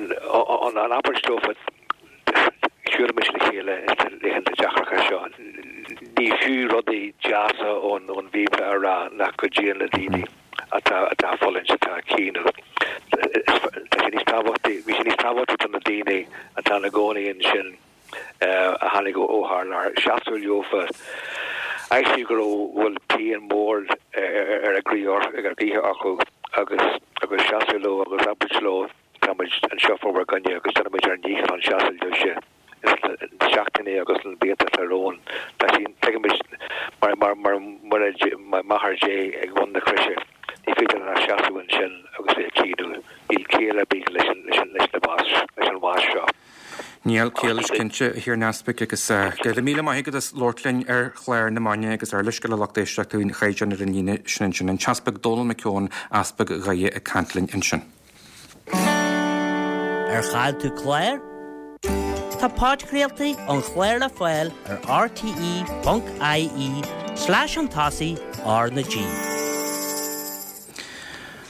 an abairt leofa siúlaimis le chéile sna laethanta deacracha seo. Ní fiú rudaí deasa ón Bhíobla a rá nach gcuidíonn le daoine atá atá ag fulaingt, atá ag caoineadh. Tá sé níos tábhachtaí, bhí sé níos tábhachtaí do na daoine atá ina gcónaí ansin. a tháinig ó thar lear, seasamh leofa. Aibhsiú go raibh, bhfuil pian mhór ar a gcroí, ar a gcroíthe acu agus agus seasamh leo agus abairt leo tá muid anseo fá bhur gcoinne agus déanfaimid ár ndícheall chun seasamh libhse sna seachtainí agus sna blianta atá romhainn. Tá sí, tuigimid mar mar mar Muire mar Máthair Dé ag bun na croise, ní féidir linn ach seasamh ansin agus bheith ag caoineadh. Níl ciall ar bith leis an leis an leis na bás leis an bhás seo. Níl ciall leis cinnte, a Thiarna Easpaig, agus go raibh míle maith agat as labhairt linn ar chlár na Maidine agus ár leithscéal le lucht éisteachta faoin chaighdeán ar an líne sin ansin. An tEaspag Dónal McKeown, Easpag Dhoire ag caint linn ansin. Ar chaill tú clár? Tá podchraoltaí an chláir le fáil ar rte.ie slash chun tosaigh R na G.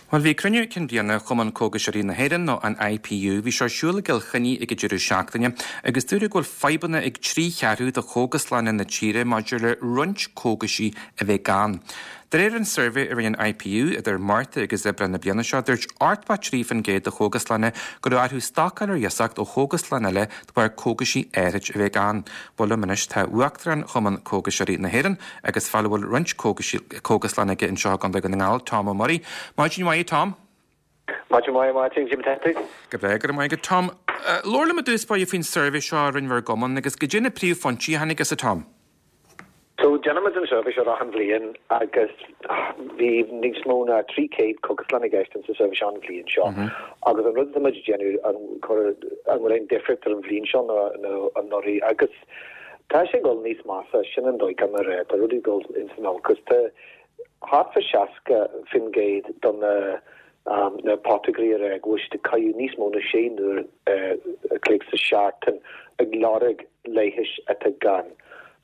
Bhuel, bhí cruinniú cinn bliana Chumann Cógaiseoirí na hÉireann, nó an IPU, bhí sé ar siúl i gCill Chainnigh ag an deireadh seachtaine agus dúradh go bhfuil fadhbanna ag 3/4 de chógaslanna na tíre maidir le roinnt cógaisí a bheith gann. De réir an suirbhé a rinne an IPU idir Márta agus Aibreán na bliana seo, dúirt 83% de chógaslanna go raibh orthu stocáil ar iasacht ó chógaslann eile de bharr cógaisí áirid a bheith gann. Bhuel liom anois tá Uachtarán Chumann Cógaiseoirí na hÉireann agus fear a bhfuil roinnt cógaslann aige anseo i gContae Dhún na nGall, Tom Ó Muirí. Maidin mhaith, a Tom. Maidin mhaith, a Mháirtín, cad é mar atá tú? Go breá, go raibh maith agat, Tom. Labhair liom i dtús báire faoin suirbhé seo a rinne bhur gcumann agus goidé na príomhphointí a tháinig as, a Tom. So, déanaimid an suirbhé seo achan bhliain agus bhí níos mó ná 300 cógaslann i gceist insa suirbhé seo an bhliain seo. Agus an rud atá muid ag déanamh, an an bhfuil aon difríocht ar an bhliain seo nó anuraidh agus tá sé ag dul níos measa, sin an dóigh liom a rá, tá rudaí ag dul ins an olcas. Tá. thart fá 60% de na na potagairí ag rá go bhfuil siad ag caitheamh níos mó ná 6 n-uair a chloig sa seachtain ag lorg leighis atá gann.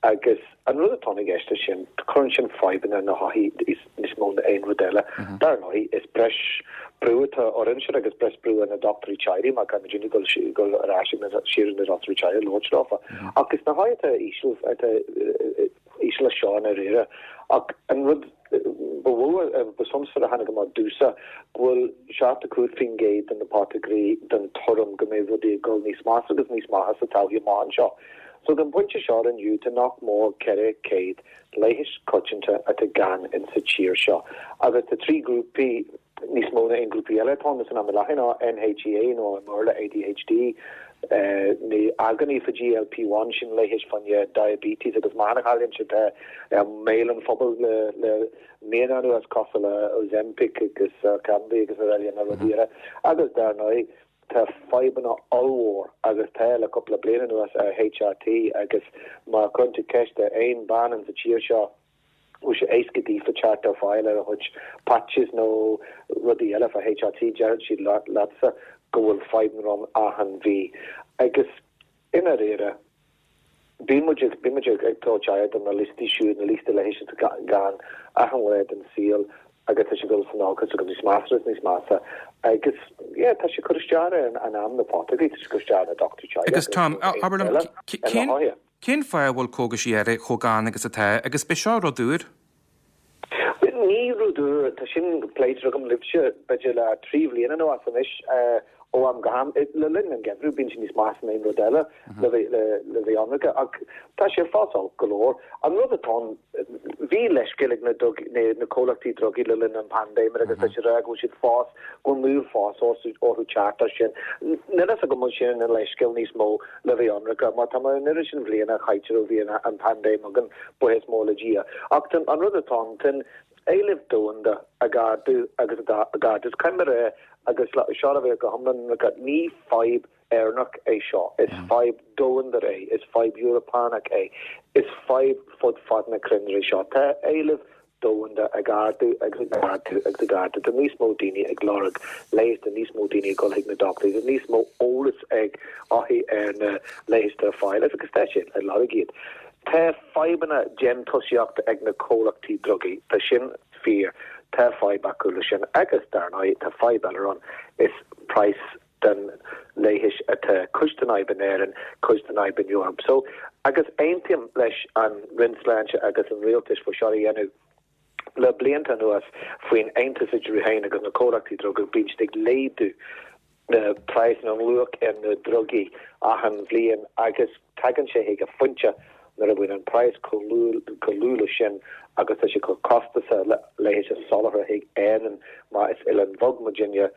Agus an rud atá i gceist leis sin, cuireann sin fadhbanna ar na hothair níos mó ná aon rud eile. Dar ndóigh, is breis brú atá orainn siúd agus breis brú ar na dochtúirí teaghlaigh mar caithfidh muidne dul ar ais siar ag na dochtúirí teaghlaigh labhairt leofa. Ach is na hothair atá íseal, atá íseal leis seo i ndáiríre. Ach an rud ba mhó, ba suntasmhar a tháinig amach domhsa, go bhfuil 75% de na potagairí den tuairim go mbeidh rudaí ag dul níos measa agus níos measa sa todhchaí amach anseo. So ag an bpointe seo inniu tá nach mór 400 leigheas coitianta atá gann in sa tír seo agus tá 3 grúpaí níos mó ná aon grúpaí eile atá ann san am i láthair ná NHEA nó i mBéarla ADHD, na agónaí fá GLP-1, sin leigheas fá choinne diabetes agus meáchan a chailliúint atá i mbéal an phobail le le míonna anuas cosúil le Ozempic agus Orkambi agus araile na rudaí eile agus dar ndóigh tá fadhbanna ollmhór agus tá le cúpla bliain anuas ar HRT agus má chuireann tú ceist ar aon bean in sa tír seo bhfuil sé éasca daofa teacht ar fáil ar a chuid patches nó rudaí eile fá HRT, déarfaidh siad leatsa go bhfuil fadhbanna ann achan mhí. Agus i ndáiríre, bíonn muid ag, bíonn muid ag tabhairt aire do na liostaí siúd, na liostaí leighis atá gann achan lá den saol agus tá sé ag dul san olcas agus níos measa agus níos measa agus yeah, tá sé ag cur isteach ar an am na potagairí, tá sé ag cur isteach ar na dochtúirí teaghlaigh Agus Tom, abair liom, cén, Cén fáth a bhfuil cógaisí áirithe chomh gann agus atá, agus b'é seo rud úr? Ní rud úr, tá sin pléite agam libhse b'fhéidir le 3 bhliain anuas anois, ó am go ham. Le linn an gheimhridh bíonn sé níos measa ná aon rud eile le bheith ionraice, ach tá sé fós olc go leor. An rud atá ann, bhí leithscéal ag na na comhlachtaí drugaí le linn an paindéime agus tá siad ag rá go bhfuil siad fós, go bhfuil moill fós orthu teacht air sin. Níl fhios agam an bhfuil sin ina leithscéal níos mó le bheith ionraice, mar tá mar an oiread sin bhliana chaite ó bhí an paindéim againn, buíochas mór le Dia. Ach tá an rud atá ann, tá an éileamh domhanda ag ardú agus ag ardú. Is caithfidh mé a rá, agus seo le bheith go hiomlán ionraice, ní fadhb Éireannach é seo, is fadhb domhanda é, is fadhb Eorpánach é, is fadhb fud fad na cruinne é seo. Tá éileamh domhanda ag ardú agus ag ardú agus ag ardú. Tá níos mó daoine ag lorg leighis, tá níos mó daoine ag dul chuig na dochtúirí, tá níos mó eolas ag othair ar na leighis atá ar fáil agus tá siad ag lorg iad. Tá fadhbanna déantúsaíochta ag na comhlachtaí drugaí, tá sin fíor, tá fadhb acu le sin agus dar ndóigh tá fadhb eile ann, is praghas den leighis atá cuid den fhadhb in Éirinn, cuid den fhadhb in Eoraip. So, agus aontaím leis an Roinn Sláinte agus an Rialtais faoi seo a dhéanamh le blianta anuas faoin aontas idir iad féin agus na comhlachtaí druga, bíonn siad ag laghdú na praghsanna, an luach ar na drugaí achan bhliain agus tagann sé chuig a phointe nuair a bhíonn an praghas chomh lú le sin agus tá sé chomh costasach le leigheas a soláthar chuig Éirinn mar is oileán bheag muidinne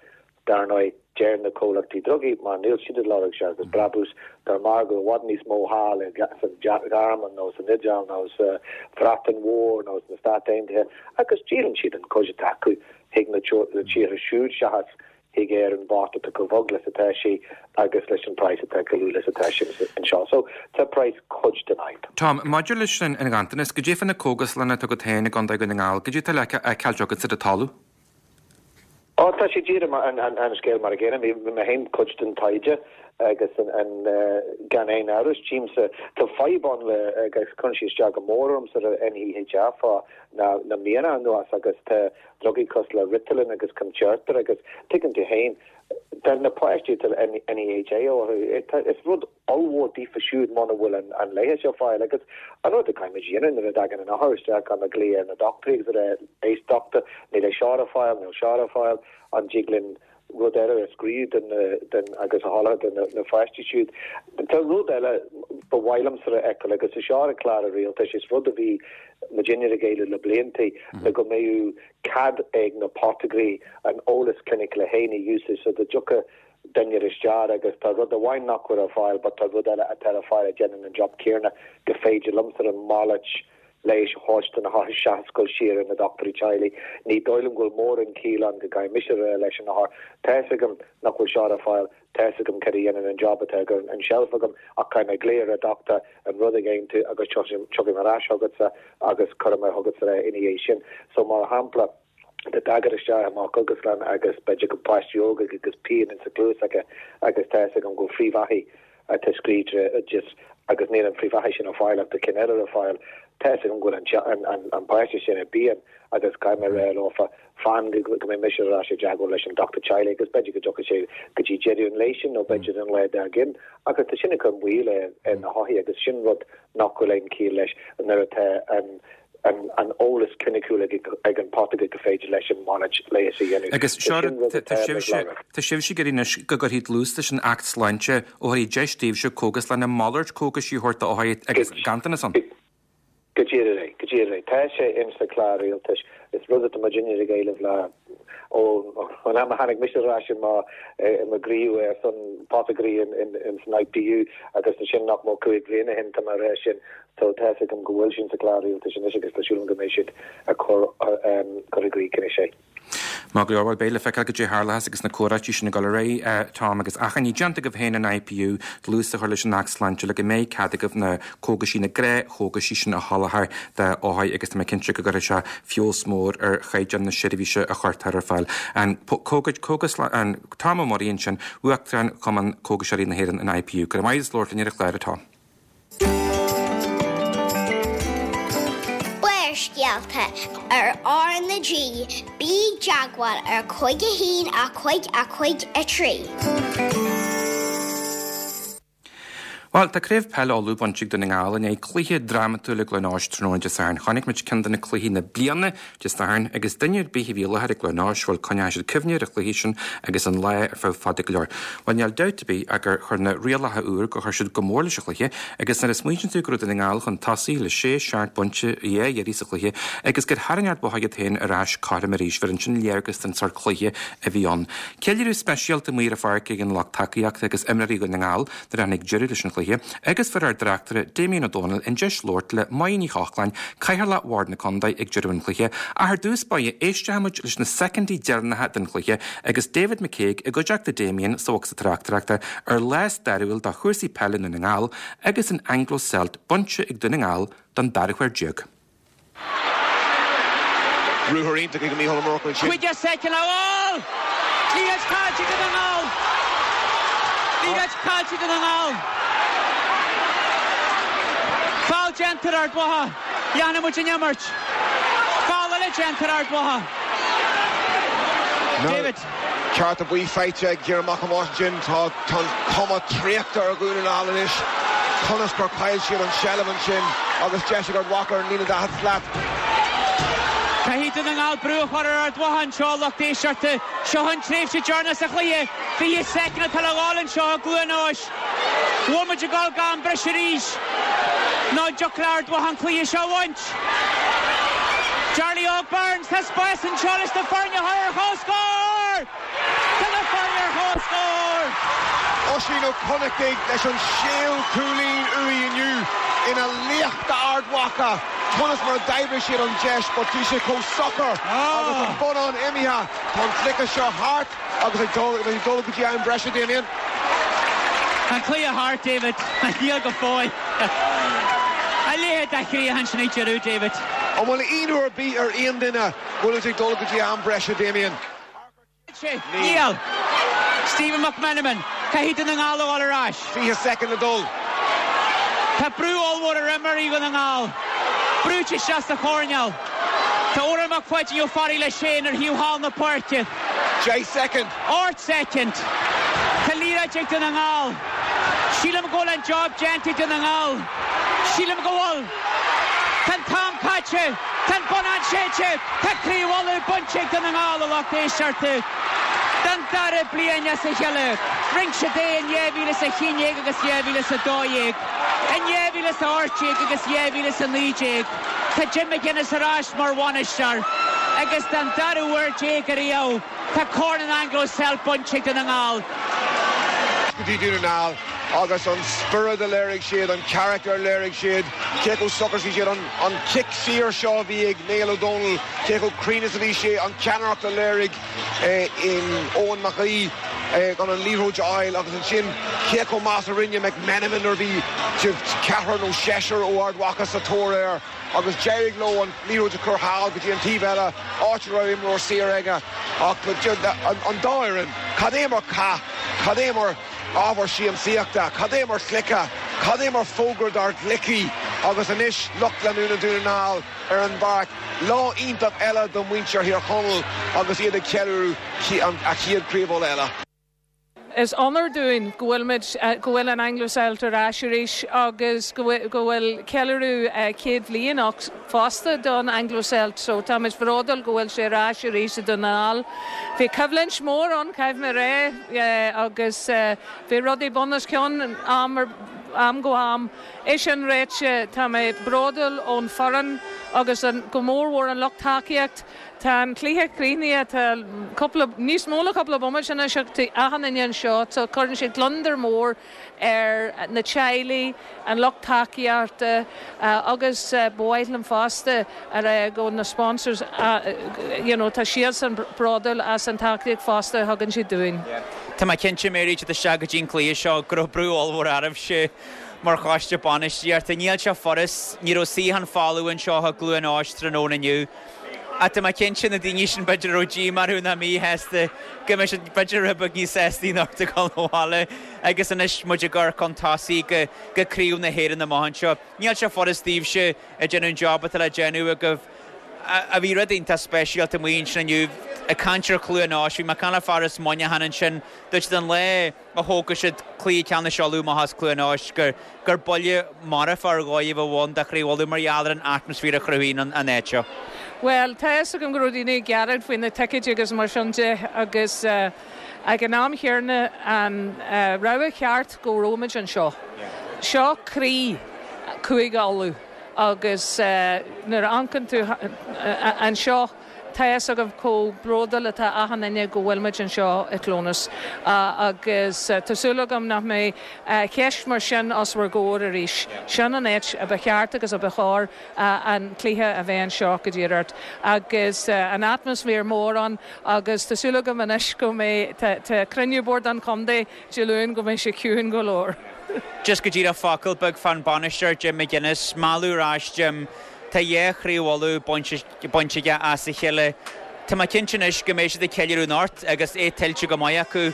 Dar ndóigh, deir na comhlachtaí drugaí, má níl siad ag lorg seachas brabús, tá margadh i bhfad níos mó thall sa Ghearmáin nó san Iodáil nó sa Bhreatain Mhór nó sna Stáit Aontaithe agus díolann siad an chuid atá acu chuig na tíortha siúd seachas chuig Éirinn bocht atá chomh bheag leis atá sí agus leis an praghas atá chomh lú leis atá sé anseo. So, tá praghas cuid den fhadhb. Tom, maidir leis an nganntanas, goidé fá na cógaslanna atá agat féin i gContae Dhún na nGall, goidé atá le feiceáilt agatsa ar an talamh? Ó, tá sé díreach mar an scéal mar a gcéanna. Bhí mé féin cuid den taighde agus an gan aon amhras, tchímse, tá fadhb ann le agus cuireann sé isteach go mór ormsa ar NHEA fá na míonna anuas agus tá drugaí cosúil le Ritalin agus Concerta agus tuigeann tú féin, tá na páistí atá NHEA orthu, is rud ollmhór daofa siúd muna bhfuil an leigheas ar fáil agus an rud a caithfimid a dhéanamh nuair a dtagann an othar isteach caithfimid glaoch ar na dochtúirí agus a rá éist dochtúir níl é seo ar fáil níl seo ar fáil an dtig linn rud eile a scríobh den den agus a sholáthar do na na pháistí siúd. Tá rud eile ba mhaith liomsa a fheiceáil agus is seo ar an chlár an rialtais is rud a bhí muidinne ag éileamh le blianta le go mbeadh cead ag na potagairí an eolas cliniciúil féin a úsáid so dá dtiocfadh duine isteach agus tá rud amháin nach bhfuil ar fáil but tá rud eile atá ar fáil a dhéanann an job céanna go féidir liomsa an malairt Leighis a thabhairt do na hothair seachas dul siar ar na dochtúirí teaghlaigh. Ní dóigh liom go bhfuil mórán ciall ann go gcaithfidh mise a rá leis an othar, tá fhios agam nach bhfuil seo ar fáil, tá fhios agam cad a dhéanann an job atá ar an tseilf agam ach caithfidh mé glaoch ar an dochtúir, an rud a aontú agus tiocfaidh mé ar ais chugatsa agus cuirfidh mé chugatsa é ina dhiaidh sin. So mar shampla, dá dtagfá isteach i mo chógaslann agus b'fhéidir go páistí óga agus pian insa chluas acu agus tá fhios agam go bhfuil frithbheathaigh atá scríte ar oideas agus níl an frithbheathaigh sin ar fáil ach tá cinn eile ar fáil, tá fhios agam go bhfuil an páiste sin i bpian agus caithfidh mé a rá leofa fan go mbeidh mise ar ais i dteagmháil leis an dochtúir teaghlaigh agus b'fhéidir go dtiocfaidh sé go dtí deireadh an lae sin nó b'fhéidir an lá dár gcionn agus tá sin ag cur moill ar na hothair agus sin rud nach bhfuil aon chiall leis nuair atá an an eolas cliniciúil ag an potaire gur féidir leis an malairt leighis a dhéanamh. Agus seo rud, tá sibhse, tá sibhse ag iarraidh anois go gcuirfí dlús leis an Acht Sláinte ó thaobh deis daoibhse cógaslanna malairt cógaisí a thabhairt d'othair agus ganntanas ann. Go díreach é, go díreach é. Tá sé ins na cláir rialtais. Is rud atá muidinne ag éileamh le ón am a tháinig mise ar ais i mo i mo ghníomh ar son potagairí ins an IPU agus ansin nach mór 5 bliana ó shin tá mé ag rá sin So tá fhios agam go bhfuil sin sa chlár rialtais anois agus tá súil agam go mbeidh siad ag cur cur i gcrích anois é. Maith go leor, bhuel beidh le feiceáil goidé a tharlóchas agus na comhráití sin ag dul ar aghaidh, Tom, agus achainí déanta agaibh féin in IPU dlús a chur leis an Acht Sláinte le go mbeidh cead agaibh na cógaisí, na gnáthchógaisí sin a sholáthar d'othair agus tá mé cinnte go gcuirfidh sé feabhas mór ar chaighdeán na seirbhíse a chuirtear ar fáil. An cógas, an Tom Ó Muirí ansin, Uachtarán Chumann Cógaiseoirí na hÉireann, an IPU. Go raibh maith agat as labhairt linn ar an chlár, a Tom. Barrscéalta ar R na G, bí i dteagmháil ar 5 1 5 5 3. Bhuel, tá Craobh Peile Uladh bainte ag Dún na nGall i ndiaidh cluiche drámatúil i gCluain Eois tráthnóna Dé Sathairn. Chonaic muid ceann de na cluichí na bliana Dé Sathairn agus duine ar bith a bhí i láthair i gCluain Eois, bhuel, coinneoidh siad cuimhne ar an chluiche sin agus an lá ar feadh fada go leor. Bhuel, níl dabht ar bith ach gur chuir na rialacha úr, gur chuir siad go mór leis an chluiche agus nuair a smaoiníonn tú go raibh Dún na nGall chun tosaigh le sé, seacht bpointe a dhá iarraidh sa chluiche agus gur tharraing Ard Mhacha iad féin ar ais cothrom arís, bhuel ansin léargas den sórt cluiche a bhí ann. Ceiliúradh speisialta amuigh ar an pháirc ag an lucht tacaíochta agus imreoirí Dhún na nGall nuair a tháinig deireadh leis an chluiche agus fuair ár dtráchtaire Damien Ó Dónaill an deis labhairt le Máire Ní Chochláin, Cathaoirleach Bhord na Contae ag deireadh an chluiche. Ach ar dtús báire, éistfidh muid leis na soicindí deireanacha den chluiche agus David McCague i gcuideachta Damien sa bhocsa tráchtaireachta ar lá stairiúil do chúrsaí peile i nDún na nGall agus an Anglo Celt bainte ag Dún na nGall don dara huair déag. Ruathar iontach ag Mícheál Ó Murchú ansin. 15 soicind le dhul! Liathróid caillte ag Dún na nGall! Liathróid caillte ag Dún na nGall! Foul déanta ar Ard Mhacha. Leanfaidh muid an imirt. Foul eile déanta ar Ard Mhacha. David. Cárta buí faighte ag Diarmuid Mac Thomáis ansin. Tá an chuma traochta ar Dhún na nGall anois. Conas gur chaill siad an tseilbh ansin agus deis ag Ard Mhacha ar an líne 40 slat. Caithfidh Dún na nGall brú a chur ar Ard Mhacha anseo, a lucht éisteachta. Seo an tréimhse deireanach sa chluiche. 20 soicind atá le dhul anseo i gCluain Eois. Bhfuil muid ag dul go am breise arís? Nó an dtiocfadh le Ard Mhacha an cluiche seo a bhaint? Charlie Óg Burns, tá spás anseo leis na foirne a chur ar comhscór! Tá na foirne ar comhscór! Oisín Ó Connachtaigh leis an séú cúilín uaidh inniu ina laoch d'Ard Mhacha. Conas mar a d'oibrigh siad an deis but bhí sé chomh socair agus an bonnán imithe. Tá an cluiche seo thart. Agus ag dul ag dul go dtí am breise, Damien. An cluiche thart, David. Níl go fóill. A leithéid de chríoch ansin ag deireadh, David. An bhfuil ionadh ar bith ar aon duine go bhfuil muid ag dul go dtí am breise, Damien? Níl. Stephen McMenamin, caithfidh Dún na nGall a dhul ar ais. 20 soicind le dul. Tá brú ollmhór ar imreoirí Dhún na nGall. Brúite isteach sa choirnéal. Tá Odhrán Mac Pháidín Ó Fearraigh leis féin ar thaobh thall na páirce. 10 soicind. 8 soicind. Tá liathróid ag Dún na nGall. Sílim go bhfuil an job déanta ag Dún na nGall. Sílim go bhfuil. Tá an t-am caite. Tá an bonnán séidte. Tá Craobh Uladh bainte ag Dún na nGall, a lucht éisteachta. Don dara bliain as a chéile. Rinne siad é in 2011 agus 2012. In 2018 agus 2019. Tá Jim McGuinness ar ais mar bhainisteoir agus don dara huair déag ariamh tá Corn an Anglo Celt bainte ag Dún na nGall. Go dtí Dún na nGall. Agus an spiorad a léirigh siad, an carachtar a léirigh siad, cé chomh socair is a bhí siad, an cic saor seo a bhí ag Niall Ó Dónaill, cé chomh cruinn is a bhí sé, an ceannaireacht a léirigh Eoin Mac Aoidh chun an liathróid a fháil agus ansin cé chomh maith is a rinne McMenamin nuair a bhí ceathrar nó seisear ó Ard Mhacha sa tóir air agus d'éirigh leo an liathróid a chur thall go dtí an taobh eile, áit a raibh imreoir saor aige. Ach an dá fhoireann, cad é mar chath, cad é mar. ábhar siamsaíochta, cad é mar chluiche, cad é mar fógra dár gcluichí agus anois lucht leanúna Dhún na nGall ar an bpáirc. Lá iontach eile do mhuintir Thír Chonaill agus iad ag ceiliúradh a chéad Chraobh Uladh eile. Is onóir dúinn go bhfuil muid, go bhfuil an Anglo-Celt ar ais arís agus go bhfuil ceiliúradh 100 bhliain fosta don Anglo-Celt so táimid bhródúil go bhfuil sé ar ais arís i Dún na nGall. Bhí coimhlint mór ann, caithfidh mé a rá, agus bhí rudaí bun os cionn am ar am go ham. É sin ráite, tá mé bródúil ón foireann agus go mórmhór an lucht tacaíocht. Tá an cluiche críochnaithe, tá cúpla, níos mó ná cúpla bomaite anois ach tá achan duine anseo so cuireann sé gliondar mór ar na teaghlaigh, an lucht tacaíochta agus ba mhaith liom fosta a rá go na sponsors you know tá siadsan bródúil as an tacaíocht fosta a thugann siad dúinn. Tá mé cinnte, Mary, ag teacht isteach go dtí an cluiche seo go raibh brú ollmhór oraibhse mar choiste bainistíochta. Níl sé furast, ní raibh suíochán folamh anseo i gCluain Eois tráthnóna inniu. Ach tá mé cinnte na daoine sin b'fhéidir a raibh díomá orthu nó míshásta go mbeidh siad b'fhéidir rud beag níos sástaí anocht ag dul abhaile agus anois muid ag amharc chun tosaigh go go Craobh na hÉireann amach anseo. Níl sé furast daoibhse ag déanamh an job atá le déanamh agaibh. A bhí rud iontach speisialta amuigh ansin inniu ag caint ar Chluain Eois, bhí mé ag caint le fear as Muineachán ansin, dúirt siad an lá a thógfaidh siad cluiche ceannais Uladh amach as Cluain Eois gur gur buille marfach ar dhóigh a bheadh ann do Chraobh Uladh mar gheall ar an atmaisféar a chruthaíonn an áit seo. Bhuel, tá a fhios agam go raibh daoine ag gearán faoi na ticéid agus mar sin de agus ag an am chéanna an rogha cheart go raibh muid anseo. Seo croí Cúige Uladh agus nuair a amharcann tú anseo, Tá a fhios agaibh chomh bródúil atá achan duine go bhfuil muid anseo i Clónas agus tá súil agam nach mbeidh ceist mar sin os bhur gcomhair arís. Sin an áit a ba cheart agus a ba chóir an cluiche a bheith anseo go díreach agus an atmaisféar mór ann agus tá súil agam anois go mbeidh, tá cruinniú Bord an Chontae Dé Luain go mbeidh sé ciúin go leor. Just go díreach focal beag fán bainisteoir Jim McGuinness, mealladh ar ais Jim, tá dhá chraobh Uladh bainte bainte aige as a chéile. Tá mé cinnte anois go mbeidh siad ag ceiliúradh anocht agus é tuillte go maith acu.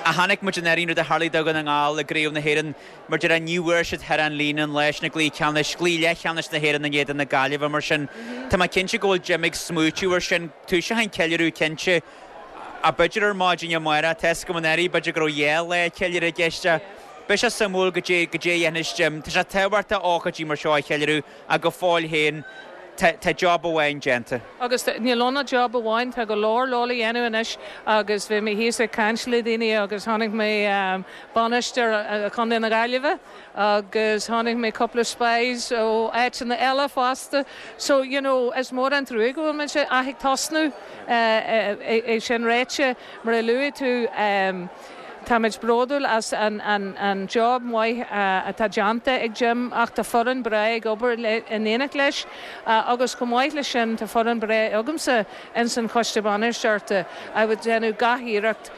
Ach chonaic muid anuraidh an rud a tharlaigh do Dhún na nGall i gCraobh na hÉireann mar déarfá ní bhfuair siad thar an líne an lá sin i gcluiche ceannais, gcluiche leathcheannais na hÉireann in éadan na Gaillimhe mar sin tá mé cinnte go bhfuil Jim ag smaoitiú ar sin. Toiseoidh an ceiliúradh cinnte ach b'fhéidir ar maidin amárach, tá a fhios agam anuraidh b'fhéidir go raibh dhá lá ceiliúradh i gceist ach beidh sé suimiúil goidé goidé a dhéanfas Jim. Tá sé tábhachtach ócáidí mar seo a cheiliúradh ach go fóill féin tá job amháin déanta. Agus níl ann ach job amháin, tá go leor leor le dhéanamh anois agus bhí mé thíos ag caint le daoine agus chonaic mé bainisteoir Chontae na Gaillimhe agus chonaic mé cúpla spies ó áiteanna eile fosta. So, you know, is mór an trua go bhfuil muid ach ag tosnú, é sin ráite, mar a luaigh tú, Táimid bródúil as an job maith atá déanta ag Jim ach tá foireann breá ag obair in éineacht leis agus chomh maith leis sin tá foireann breá agamsa ins an choiste bainistíochta a bhfuil déanamh gach iarracht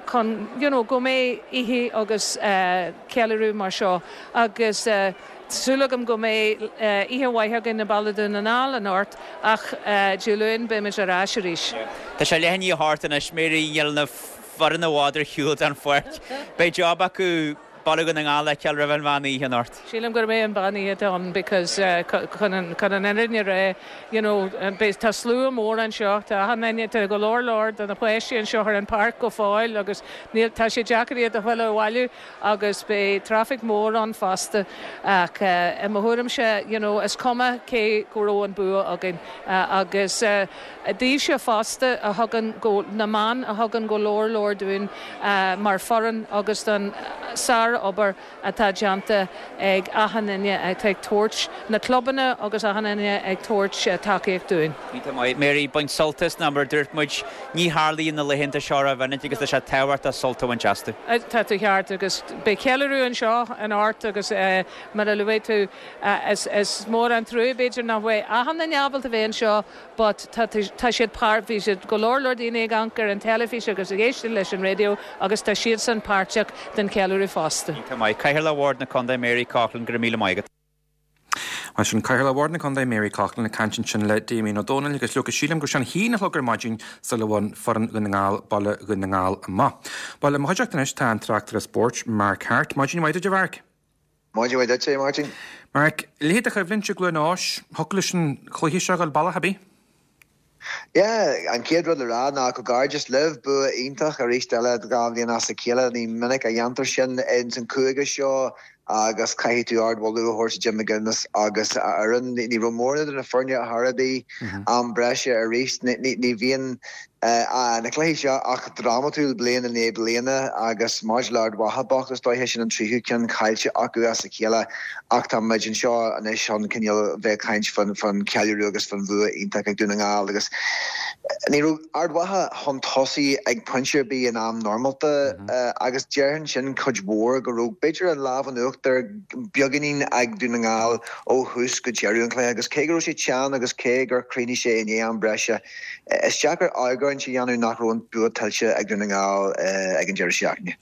chun you know go mbeidh oíche agus ceiliúradh mar seo agus Tá súil agam go mbeidh oíche mhaith againn i mbaile Dhún na nGall anocht ach Dé Luain beimid ar ais arís. Tá sé leath i ndiaidh a hocht anois, Mary, níl na foireann i bhfad ar shiúl den pháirc. Beidh job acu Baile Dhún na nGall a fheiceáil roimh an mheán oíche anocht. Sílim gurb é an mheán oíche atá ann because chun an fhírinne a rá you know beidh tá slua mór anseo, tá achan duine, tá go leor leor de na páistí anseo ar an páirc go fóill agus níl, tá sé deacair iad a thuilleadh abhaile. agus beidh traffic mór ann fosta ach i mo thuairimse you know is cuma cé go raibh an bua againn agus daoibhse fosta a thugann go, na meáin a thugann go leor leor dúinn mar foireann agus don Sár-obair atá déanta ag achan duine atá ag tabhairt, na clubanna agus achan duine ag tabhairt tacaíocht dúinn. Iontach maith. Mary, bain sult as nó mar a dúirt muid, ní tharlaíonn na laethanta seo rómhinic agus tá sé tábhachtach sult a bhaint astu. Tá tú ceart agus beidh ceiliúradh anseo anocht agus mar a luaigh tú, is mór an trua b'fhéidir nach bhfuil achan duine ábalta bheith anseo but tá tá siad páirt bhí siad go leor leor daoine ag amharc ar an teilifís agus ag éisteacht leis an raidió agus tá siadsan páirteach den cheiliúradh fosta. Iontach maith. Cathaoirleach Bhord na Contae Mary Coughlan, go raibh míle maith agat. Bhuel sin Cathaoirleach Bhord na Contae Mary Coughlan ag caint ansin le Damien Ó Dónaill agus leoga sílim go raibh sé an haon a chlog ar maidin sula bhain foireann Dhún na nGall Baile Dhún na nGall amach. Bhuel i mo chuideachta anois tá an tráchtaire spóirt Mark Harte. Maidin mhaith duit a Mhark. Maidin mhaith duit, a Mháirtín. Mark, leithéid de choimhlint i gCluain Eois, thiocfadh leis an chluiche seo a dhul bealach ar bith? Yeah, an chéad rud le rá ná comhghairdeas libh, bua iontach arís eile 2 bhliain as a chéile, ní minic a dhéantar sin ins an chúige seo agus caithfidh tú ardmholadh a thabhairt do Jim McGuinness agus a fhoireann. Ní raibh mórán idir na foirne ar chor ar bith, am breise arís, ní bhíonn na cluichí seo ach drámatúil bliain i ndiaidh bliana agus maidir le Ard Mhacha bocht is dóiche sin an tríú ceann caillte acu as a chéile ach tá muid anseo anois chun cineál bheith ag caint fán cheiliúradh agus fán bhua iontach ag Dún na nGall agus ní raibh Ard Mhacha chun tosaigh ag pointe ar bith in am normálta agus déarfainn sin cuid mhór go raibh b'fhéidir an lámh in uachtar beagáinín ag Dún na nGall ó thús go deireadh an chluiche agus cé go raibh sé teann agus cé gur chríochnaigh sé i ndiaidh am breise Is deacair argóint a dhéanamh nach raibh an bua tuillte ag Dún na nGall ag an deireadh seachtaine.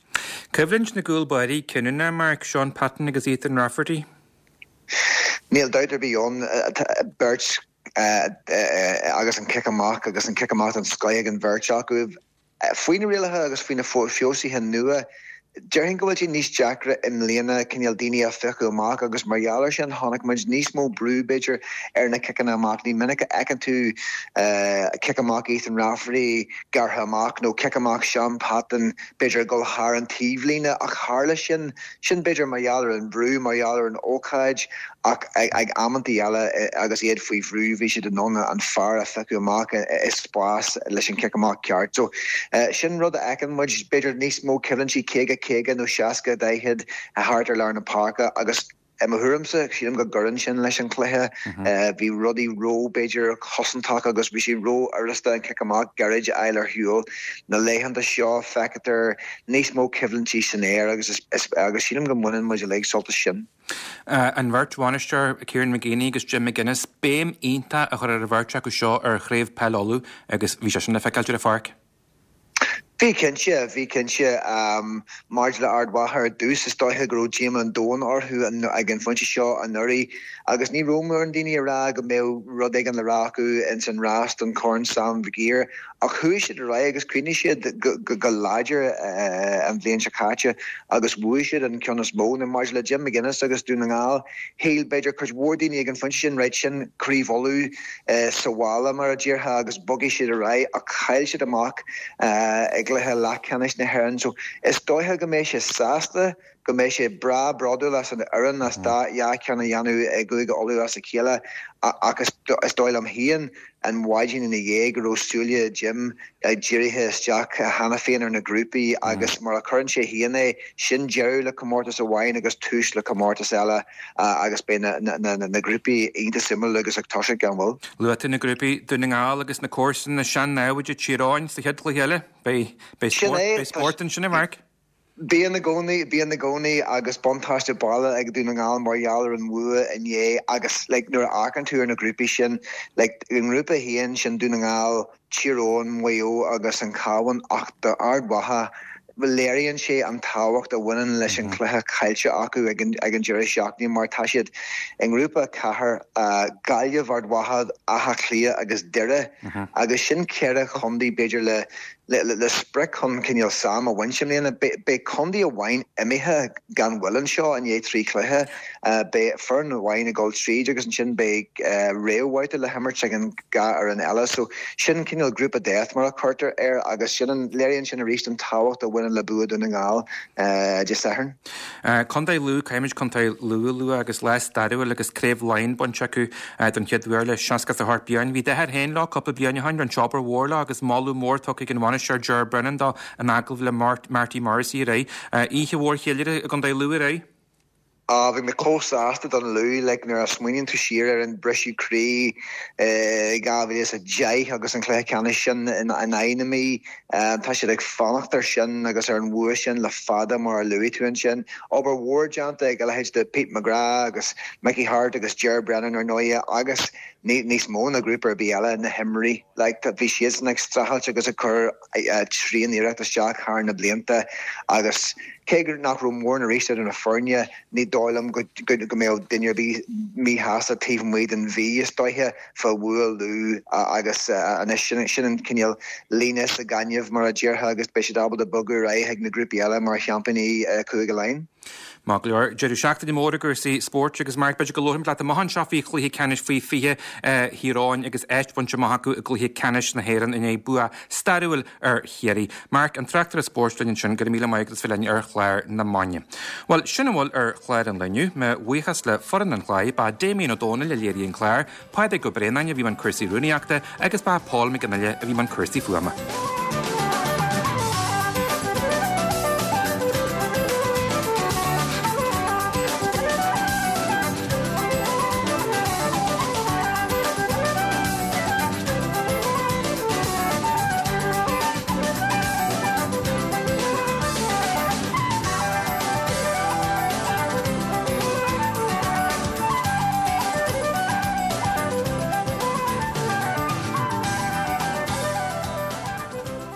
Coimhlint na gcúl báirí cinniúnach, Mark, Shaun Patton agus Ethan Rafferty. Níl dabht ar bith ann, beirt agus an cic amach agus an cic amach den scoith ag an bheirt acu. Faoi na rialacha agus faoi na feabhsuithe nua, déarfainn go bhfuil sé níos deacra i mbliana cineál daoine a phiocadh amach agus mar gheall air sin chonaic muid níos mó brú, b'fhéidir, ar na ciceanna amach. Ní minic a fheiceann tú cic amach Ethan Rafferty gearrtha amach nó cic amach Shaun Patton, b'fhéidir, ag dul thar an taobhlíne ach tharla sin. Sin b'fhéidir mar gheall ar an bhrú, mar gheall ar an ócáid ach ag amantaí eile agus iad faoi bhrú bhí siad in ann an fear a phiocadh amach i spás leis an cic amach ceart. So sin rud a fheiceann muid, b'fhéidir níos mó coimhlintí 50, 50 nó 60, 40 thart ar lár na páirce agus i mo thuairimse sílim go gcuireann sin leis an chluiche. Bhí rudaí ró b'fhéidir cosantach agus bhí sé ró-fhurasta an cic amach gairid a fháil ar shiúl. Na laethanta seo feictear níos mó coimhlintí san aer agus agus sílim go mbaineann muid uilig sult as sin. An bheirt bhainisteoir, Kieran McGeeney agus Jim McGuinness, béim iontach a chur ar an bheirt acu seo ar Chraobh Peil Uladh agus bhí sé sin le feiceáilt ar an pháirc. Bhí cinnte, bhí cinnte. Maidir le Ard Mhacha ar dtús, is dóiche go raibh díoma an domhain orthu ag an phointe seo anuraidh agus ní raibh mórán daoine ag rá go mbeadh rud éigin le rá acu ins an rás don Chorn Sam Mhig Uidhir. Ach chuaigh siad ar aghaidh agus chríochnaigh siad go láidir an bhliain seo caite agus bhuaigh siad an ceann is mó. Now maidir le Jim McGuinness agus Dún na nGall, shíl b'fhéidir cuid mhór daoine ag an phointe sin, right, sin Craobh Uladh sa bhaile mar a déarfá agus bogfaidh siad ar aghaidh ach chaill siad amach i gcluiche leathcheannais na hÉireann. So is dóiche go mbeidh sé sásta go mbeidh sé breá bródúil as an fhoireann as dá dhá cheann a dhéanamh i gCúige Uladh as a chéile ach is dóigh liom féin an mhaidin ina dhiaidh go raibh súile Jim dírithe isteach cheana féin ar na grúpaí agus mar a chuireann sé féin é, sin deireadh le comórtas amháin agus tús le comórtas eile agus beidh na grúpaí iontach suimiúil agus ag toiseacht gan mhoill. Luaigh tú na grúpaí, Dún na nGall agus na comharsana, sean-namhaid Tír Eoghain sa chéad chluiche eile. Beidh spórt ansin a Mharc. Bíonn i gcónaí, bíonn i gcónaí agus buntáiste baile ag Dún na nGall mar gheall ar an bhua inné agus like nuair a amharcann tú ar na grúpaí sin, like i ngrúpa a haon sin Dún na nGall, Tír Eoghain, Maigh Eo agus an Cabhán ach do Ard Mhacha léiríonn sé an tábhacht a bhaineann leis an chluiche caillte acu ag an ag an deireadh seachtaine mar tá siad i ngrúpa 4, Gaillimh, Ard Mhacha, Áth Cliath agus Doire agus sin ceithre chontae b'fhéidir le Le sprioc chun cineál Sam a bhaint i mbliana, beidh contae amháin imithe gan mhoill anseo i ndiaidh 3 chluiche. Beidh foireann amháin ag dul tríd agus ansin beidh réamhbhabhta le himirt ag an dhá fhoireann eile. So sin cineál group of death mar a chuirtear air agus sin an, léiríonn sin arís an tábhacht a bhaineann le bua Dún na nGall Dé Sathairn. Contae Lú, caithfimid Contae Lú a lua agus lá stairiúil agus Craobh Laighean bainte acu don chéad uair le 68 bliain. Bhí d'athair féin leo cúpla bliain ó shin, rinne siad obair mhór leo agus moladh mór tugtha ag an bhainisteoir Ger Brennan dó in agallamh le Marty Morrissey aréir. Oíche mhór cheiliúrtha i gContae Lú aréir. Ah, bhí mé chomh sásta don Lú, like, nuair a smaoiníonn tú siar ar an briseadh croí i 2010 agus an cluiche ceannais sin in aghaidh na Mí, tá siad ag fanacht ar sin agus ar an bhua sin le fada mar a luaigh tú ansin. Obair mhór déanta ag a leithéid de Pete McGrath agus Mickey Harte agus Ger Brennan ar ndóighe agus níos mó ná grúpa ar bith eile, na himreoirí, like, bhí siadsan ag streachailt agus ag cur tréan-iarracht isteach thar na blianta agus cé nach raibh mórán arís idir na foirne, ní dóigh liom go mbeadh duine ar bith míshásta taobh amuigh den Mhí, is dóiche, fá bhua Lú agus anois sin an cineál líne sa ghaineamh, mar a déarfá, agus beidh siad ábalta bogadh ar aghaidh chuig na grúpaí eile mar sheaimpíní Chúige Laighean. Maith go leor. Deireadh seachtaine mór i gcúrsaí spóirt agus Mark, b'fhéidir go labharfaimid leat amach anseo faoi chluiche ceannais faoi 20 Thír Eoghain agus áit bainte amach acu i gcluiche ceannais na hÉireann i ndiaidh bua stairiúil ar Chiarraí. Mark, an tráchtaire spóirt linn ansin, go raibh míle maith agat as bheith linn ar chlár na maidine. Bhuel, sin a bhfuil ar chlár an lae inniu. Mo bhuíochas le foireann an chláir, ba Damien Ó Dónaill a léirigh an clár, Pádraig Ó Braonáin a bhí i mbun cúrsaí rúnaíochta agus ba Paul Mac Fhionnghaile a bhí i mbun cúrsaí fuaime.